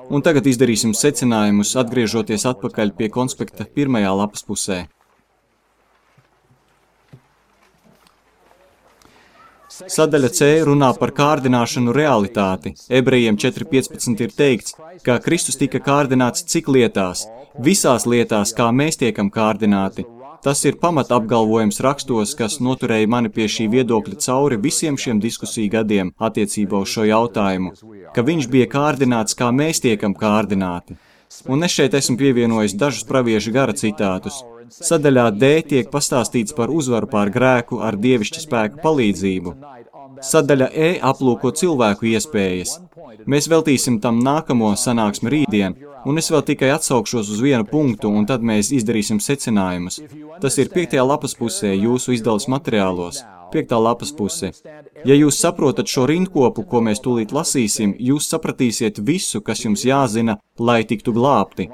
Un tagad izdarīsim secinājumus, atgriežoties atpakaļ pie konspekta pirmajā lapas pusē. Sadaļa C runā par kārdināšanu realitāti. Ebrejiem četri piecpadsmit ir teikts, ka Kristus tika kārdināts cik lietās, visās lietās, kā mēs tiekam kārdināti. Tas ir pamata apgalvojums rakstos, kas noturēja mani pie šī viedokļa cauri visiem šiem diskusiju gadiem attiecībā uz šo jautājumu, ka viņš bija kārdināts, kā mēs tiekam kārdināti. Un es šeit esmu pievienojis dažus praviešu gara citātus. Sadaļā D tiek pastāstīts par uzvaru pār grēku ar dievišķa spēka palīdzību. Sadaļa E aplūko cilvēku iespējas. Mēs veltīsim tam nākamo sanāksmi rītdien, un es vēl tikai atsaukšos uz vienu punktu, un tad mēs izdarīsim secinājumus. Tas ir piektajā lapas pusē jūsu izdalas materiālos. Piektā lapas puse. Ja jūs saprotat šo rindkopu, ko mēs tūlīt lasīsim, jūs sapratīsiet visu, kas jums jāzina, lai tiktu glābti.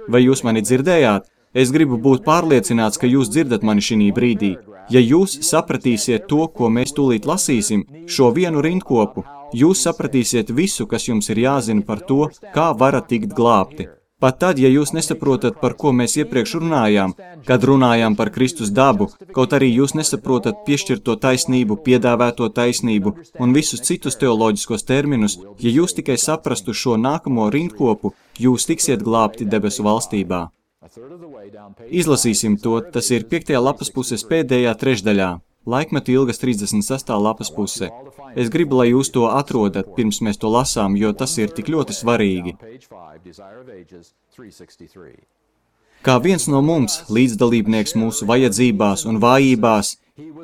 Vai jūs mani dzirdējāt? Es gribu būt pārliecināts, ka jūs dzirdat mani šī brīdī. Ja jūs sapratīsiet to, ko mēs tūlīt lasīsim, šo vienu rindkopu, jūs sapratīsiet visu, kas jums ir jāzina par to, kā varat tikt glābti. Pat tad, ja jūs nesaprotat, par ko mēs iepriekš runājām, kad runājām par Kristus dabu, kaut arī jūs nesaprotat piešķirto taisnību, piedāvēto taisnību un visus citus teoloģiskos terminus, ja jūs tikai saprastu šo nākamo rindkopu, jūs tiksiet glābti debesu valstībā. Izlasīsim to, tas ir piektajā lapas puses pēdējā trešdaļā, laikmetu ilgas trīsdesmit sestā lapas puse. Es gribu, lai jūs to atrodat, pirms mēs to lasām, jo tas ir tik ļoti svarīgi. Kā viens no mums, līdzdalībnieks mūsu vajadzībās un vājībās,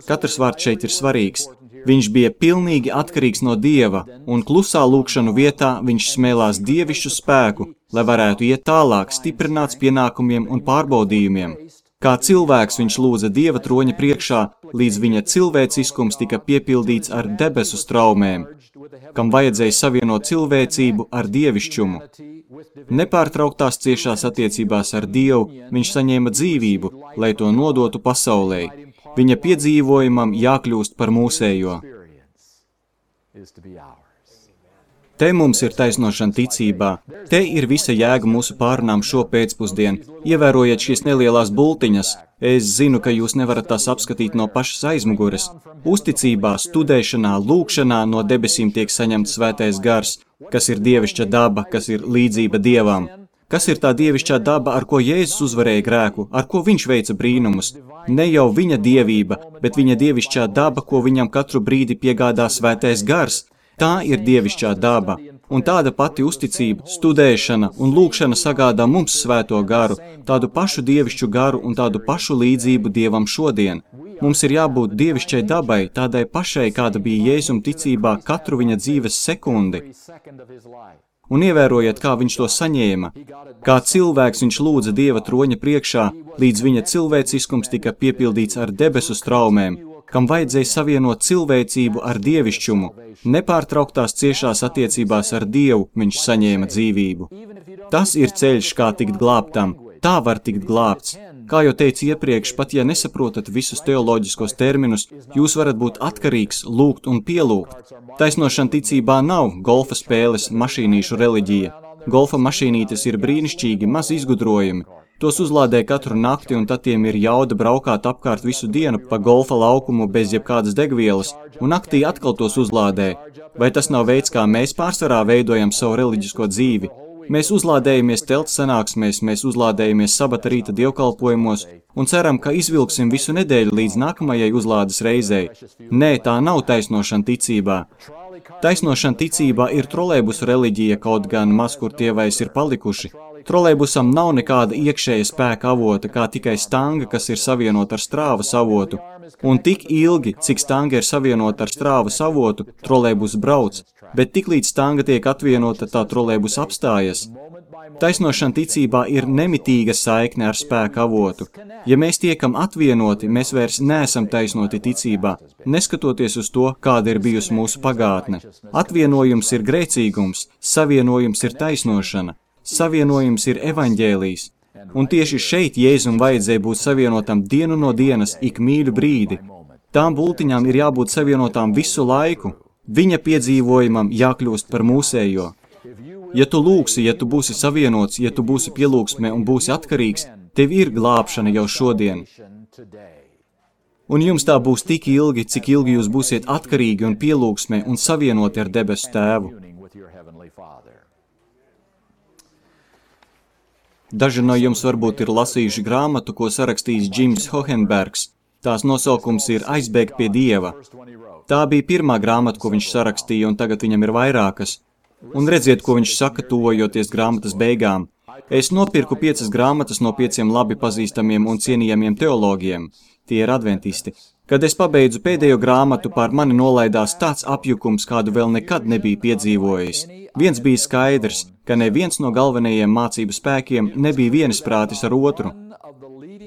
katrs vārds šeit ir svarīgs. Viņš bija pilnīgi atkarīgs no Dieva, un klusā lūkšanu vietā viņš smēlās dievišķu spēku, lai varētu iet tālāk, stiprināts pienākumiem un pārbaudījumiem. Kā cilvēks viņš lūdza Dieva troņa priekšā, līdz viņa cilvēciskums tika piepildīts ar debesu straumēm, kam vajadzēja savienot cilvēcību ar dievišķumu. Nepārtrauktās ciešās attiecībās ar Dievu viņš saņēma dzīvību, lai to nodotu pasaulē. Viņa piedzīvojumam jākļūst par mūsējo. Te mums ir taisnošana ticībā. Te ir visa jēga mūsu pārunām šo pēcpusdienu. Ievērojiet šīs nelielās bultiņas. Es zinu, ka jūs nevarat tās apskatīt no pašas aizmugures. Uzticībā, studēšanā, lūkšanā no debesīm tiek saņemts svētais gars, Kas ir dievišķa daba, kas ir līdzība Dievam? Kas ir tā dievišķā daba, ar ko Jēzus uzvarēja grēku, ar ko viņš veica brīnumus? Ne jau viņa dievība, bet viņa dievišķā daba, ko viņam katru brīdi piegādā svētais gars. Tā ir dievišķā daba. Un tāda pati uzticība, studēšana un lūkšana sagādā mums svēto garu, tādu pašu dievišķu garu un tādu pašu līdzību Dievam šodien. Mums ir jābūt dievišķai dabai, tādai pašai, kāda bija Jēzum ticībā katru viņa dzīves sekundi. Un ievērojiet, kā viņš to saņēma. Kā cilvēks viņš lūdza Dieva troņa priekšā, līdz viņa cilvēciskums tika piepildīts ar debesu straumēm, kam vajadzēja savienot cilvēcību ar dievišķumu. Nepārtrauktās ciešās attiecībās ar Dievu viņš saņēma dzīvību. Tas ir ceļš, kā tikt glābtam. Tā var tikt glābts. Kā jau teicu iepriekš, pat ja nesaprotat visus teoloģiskos terminus, jūs varat būt atkarīgs, lūgt un pielūgt. Taisnošana ticībā nav golfa spēles mašīnīšu reliģija. Golfa mašīnītes ir brīnišķīgi, maz izgudrojumi. Tos uzlādē katru nakti un tad tiem ir jauda braukāt apkārt visu dienu pa golfa laukumu bez jebkādas degvielas, un naktī atkal tos uzlādē. Vai tas nav veids, kā mēs pārsvarā veidojam savu reliģisko dzīvi? Mēs uzlādējamies telts sanāksmēs, mēs uzlādējamies sabata rīta dievkalpojumos un ceram, ka izvilksim visu nedēļu līdz nākamajai uzlādes reizei. Nē, tā nav taisnošana ticībā. Taisnošana ticībā ir trolejbusu reliģija, kaut gan maz kur tie vairs ir palikuši. Trolejbusam nav nekāda iekšēja spēka avota, kā tikai stanga, kas ir savienota ar strāvas avotu. Un tik ilgi, cik stanga ir savienota ar strāvas avotu, trolejbus brauc, bet tiklīdz stanga tiek atvienota, tā trolejbus apstājas. Taisnošana ticībā ir nemitīga saikne ar spēka avotu. Ja mēs tiekam atvienoti, mēs vairs neesam taisnoti ticībā, neskatoties uz to, kāda ir bijusi mūsu pagātne. Atvienojums ir grēcīgums, savienojums ir taisnošana, savienojums ir evaņģēlijs. Un tieši šeit Jēzum vajadzēja būt savienotam dienu no dienas, ik mīļu brīdi. Tām bultiņām ir jābūt savienotām visu laiku. Viņa piedzīvojumam jākļūst par mūsējo. Ja tu lūgsi, ja tu būsi savienots, ja tu būsi pielūgsmē un būsi atkarīgs, tev ir glābšana jau šodien. Un jums tā būs tik ilgi, cik ilgi jūs būsiet atkarīgi un pielūgsmē un savienoti ar debesu tēvu. Daži no jums varbūt ir lasījuši grāmatu, ko sarakstījis Džims Hohenbergs. Tās nosaukums ir Aizbēgt pie Dieva. Tā bija pirmā grāmata, ko viņš sarakstīja, un tagad viņam ir vairākas. Un redziet, ko viņš saka, tuvojoties grāmatas beigām. Es nopirku piecas grāmatas no pieciem labi pazīstamiem un cienījamiem teologiem. Tie ir adventisti. Kad es pabeidzu pēdējo grāmatu, pār mani nolaidās tāds apjukums, kādu vēl nekad nebija piedzīvojis. Viens bija skaidrs, ka neviens no galvenajiem mācību spēkiem nebija vienisprātis ar otru.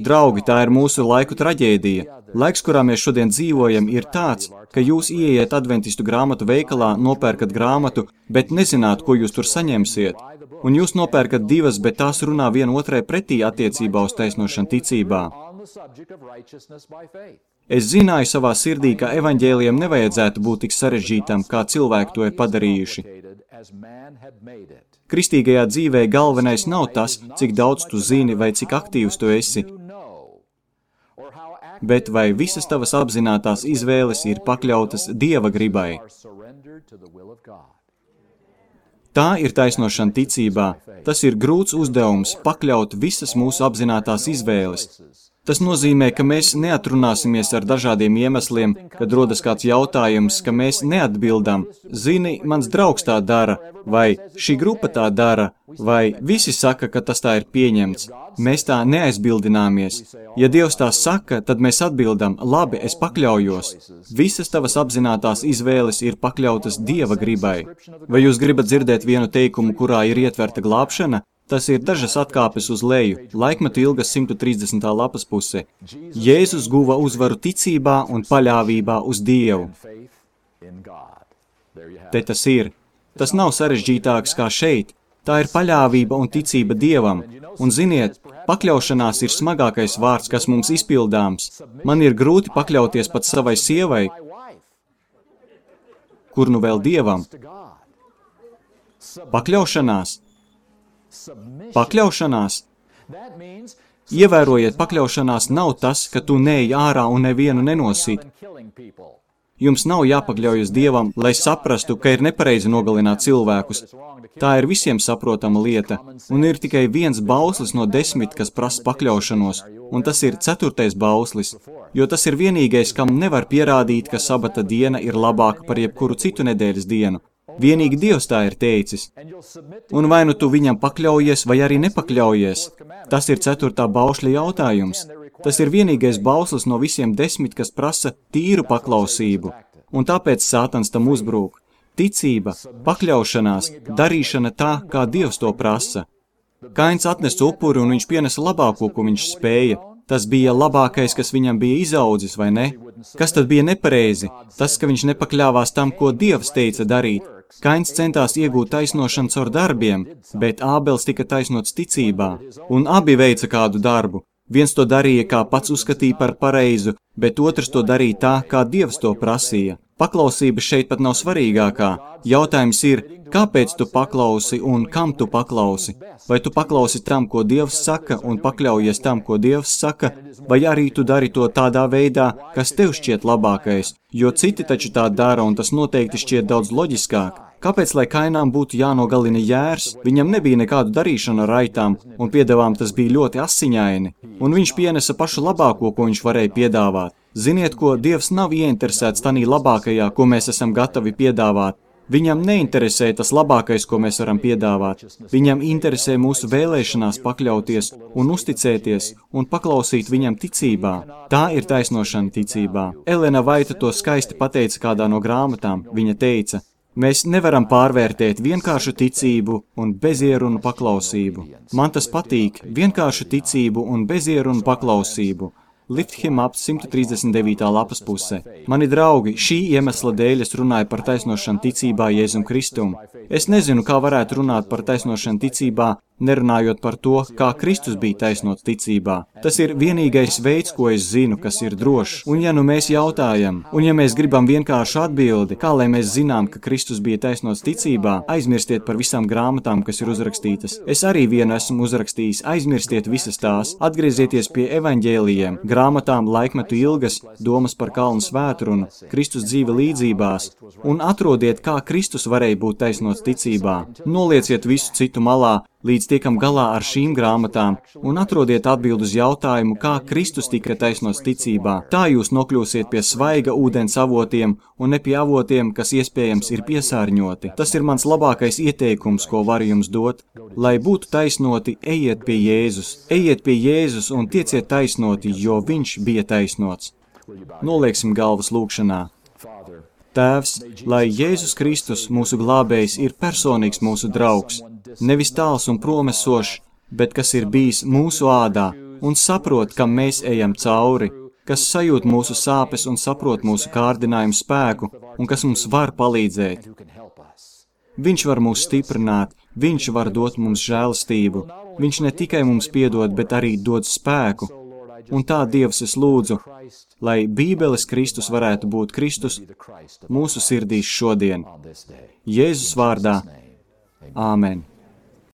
Draugi, tā ir mūsu laiku traģēdija. Laiks, kurā mēs šodien dzīvojam, ir tāds, ka jūs ieiet adventistu grāmatu veikalā, nopērkat grāmatu, bet nezināt, ko jūs tur saņemsiet. Un jūs nopērkat divas, bet tās runā viena otrai pretī attiecībā uz taisnošanu ticībā. Es zināju savā sirdī, ka evaņģēlijam nevajadzētu būt tik sarežģītam, kā cilvēki to ir padarījuši. Kristīgajā dzīvē galvenais nav tas, cik daudz tu zini vai cik aktīvs tu esi, bet vai visas tavas apzinātās izvēles ir pakļautas Dieva gribai. Tā ir taisnošana ticībā. Tas ir grūts uzdevums pakļaut visas mūsu apzinātās izvēles. Tas nozīmē, ka mēs neatrunāsimies ar dažādiem iemesliem, kad rodas kāds jautājums, ka mēs neatbildam. Zini, mans draugs tā dara, vai šī grupa tā dara, vai visi saka, ka tas tā ir pieņemts. Mēs tā neaizbildināmies. Ja Dievs tā saka, tad mēs atbildam, labi, es pakļaujos. Visas tavas apzinātās izvēles ir pakļautas Dieva gribai. Vai jūs gribat dzirdēt vienu teikumu, kurā ir ietverta glābšana? Tas ir dažas atkāpes uz leju, laikmetu ilgas simt trīsdesmitā lapas puse. Jēzus guva uzvaru ticībā un paļāvībā uz Dievu. Te tas ir. Tas nav sarežģītāks kā šeit. Tā ir paļāvība un ticība Dievam. Un ziniet, pakļaušanās ir smagākais vārds, kas mums izpildāms. Man ir grūti pakļauties pat savai sievai, kur nu vēl Dievam. Pakļaušanās. Pakļaušanās. Ievērojiet, pakļaušanās nav tas, ka tu neej ārā un nevienu nenosīt. Jums nav jāpakļaujas Dievam, lai saprastu, ka ir nepareizi nogalināt cilvēkus. Tā ir visiem saprotama lieta, un ir tikai viens bauslis no desmit, kas prasa pakļaušanos, un tas ir ceturtais bauslis, jo tas ir vienīgais, kam nevar pierādīt, ka sabata diena ir labāka par jebkuru citu nedēļas dienu. Vienīgi Dievs tā ir teicis. Un vai nu tu viņam pakļaujies, vai arī nepakļaujies, tas ir ceturtā baušļa jautājums. Tas ir vienīgais bauslis no visiem desmit, kas prasa tīru paklausību, un tāpēc Sātans tam uzbrūk. Ticība, pakļaušanās, darīšana tā, kā Dievs to prasa. Kains atnesa upuri, un viņš pienesa labāko, ko viņš spēja. Tas bija labākais, kas viņam bija izaudzis, vai ne? Kas tad bija nepareizi? Tas, ka viņš nepakļāvās tam, ko Dievs teica darīt. Kains centās iegūt taisnošanu caur darbiem, bet Ābels tika taisnots ticībā, un abi veica kādu darbu. Viens to darīja, kā pats uzskatīja par pareizu, bet otrs to darīja tā, kā Dievs to prasīja. Paklausība šeit pat nav svarīgākā. Jautājums ir, kāpēc tu paklausi un kam tu paklausi? Vai tu paklausi tam, ko Dievs saka, un pakļaujies tam, ko Dievs saka, vai arī tu dari to tādā veidā, kas tev šķiet labākais, jo citi taču tā dara, un tas noteikti šķiet daudz loģiskāk. Kāpēc, lai Kainām būtu jānogalina jērs? Viņam nebija nekādu darīšanu ar aitām, un piedevām tas bija ļoti asiņaini, un viņš pienesa pašu labāko, ko viņš varēja piedāvāt. Ziniet, ko Dievs nav ieinteresēts tanī labākajā, ko mēs esam gatavi piedāvāt. Viņam neinteresē tas labākais, ko mēs varam piedāvāt. Viņam interesē mūsu vēlēšanās pakļauties un uzticēties un paklausīt viņam ticībā. Tā ir taisnošana ticībā. Elena Vaita to skaisti pateica kādā no grāmatām. Viņa teica, mēs nevaram pārvērtēt vienkāršu ticību un bezierunu paklausību. Man tas patīk, vienkāršu ticību un bezierunu paklausību. Lift him up simt trīsdesmit devītā lapas pusē. Mani draugi, šī iemesla dēļ es runāju par taisnošanu ticībā Jēzum Kristum. Es nezinu, kā varētu runāt par taisnošanu ticībā, nerunājot par to, kā Kristus bija taisnots ticībā. Tas ir vienīgais veids, ko es zinu, kas ir drošs. Un ja nu mēs jautājam, un ja mēs gribam vienkāršu atbildi, kā lai mēs zinām, ka Kristus bija taisnots ticībā, aizmirstiet par visām grāmatām, kas ir uzrakstītas. Es arī vienu esmu uzrakstījis, aizmirstiet visas tās, atgriezieties pie evaņģēlijiem, grāmatām laikmetu ilgas, domas par kalnu svētrunu, Kristus dzīve līdzībās, un atrodiet, kā Kristus varēja būt taisnots ticībā. Nolieciet visu citu malā, līdz tiekam galā ar šīm grāmatām, un atrodiet atbildi uz jautājumu, kā Kristus tika taisnots ticībā. Tā jūs nokļūsiet pie svaiga ūdens avotiem, un ne pie avotiem, kas iespējams ir piesārņoti. Tas ir mans labākais ieteikums, ko varu jums dot. Lai būtu taisnoti, ejiet pie Jēzus. Ejiet pie Jēzus un tieciet taisnoti, jo viņš bija taisnots. Nolieksim galvas lūkšanā. Tēvs, lai Jēzus Kristus, mūsu glābējs, ir personīgs mūsu draugs, nevis tāls un promesošs, bet kas ir bijis mūsu ādā un saprot, kam mēs ejam cauri, kas sajūt mūsu sāpes un saprot mūsu kārdinājumu spēku un kas mums var palīdzēt. Viņš var mūs stiprināt, viņš var dot mums žēlastību, viņš ne tikai mums piedod, bet arī dod spēku. Un tā, Dievs, es lūdzu, lai Bībeles Kristus varētu būt Kristus mūsu sirdīs šodien. Jēzus vārdā. Āmen.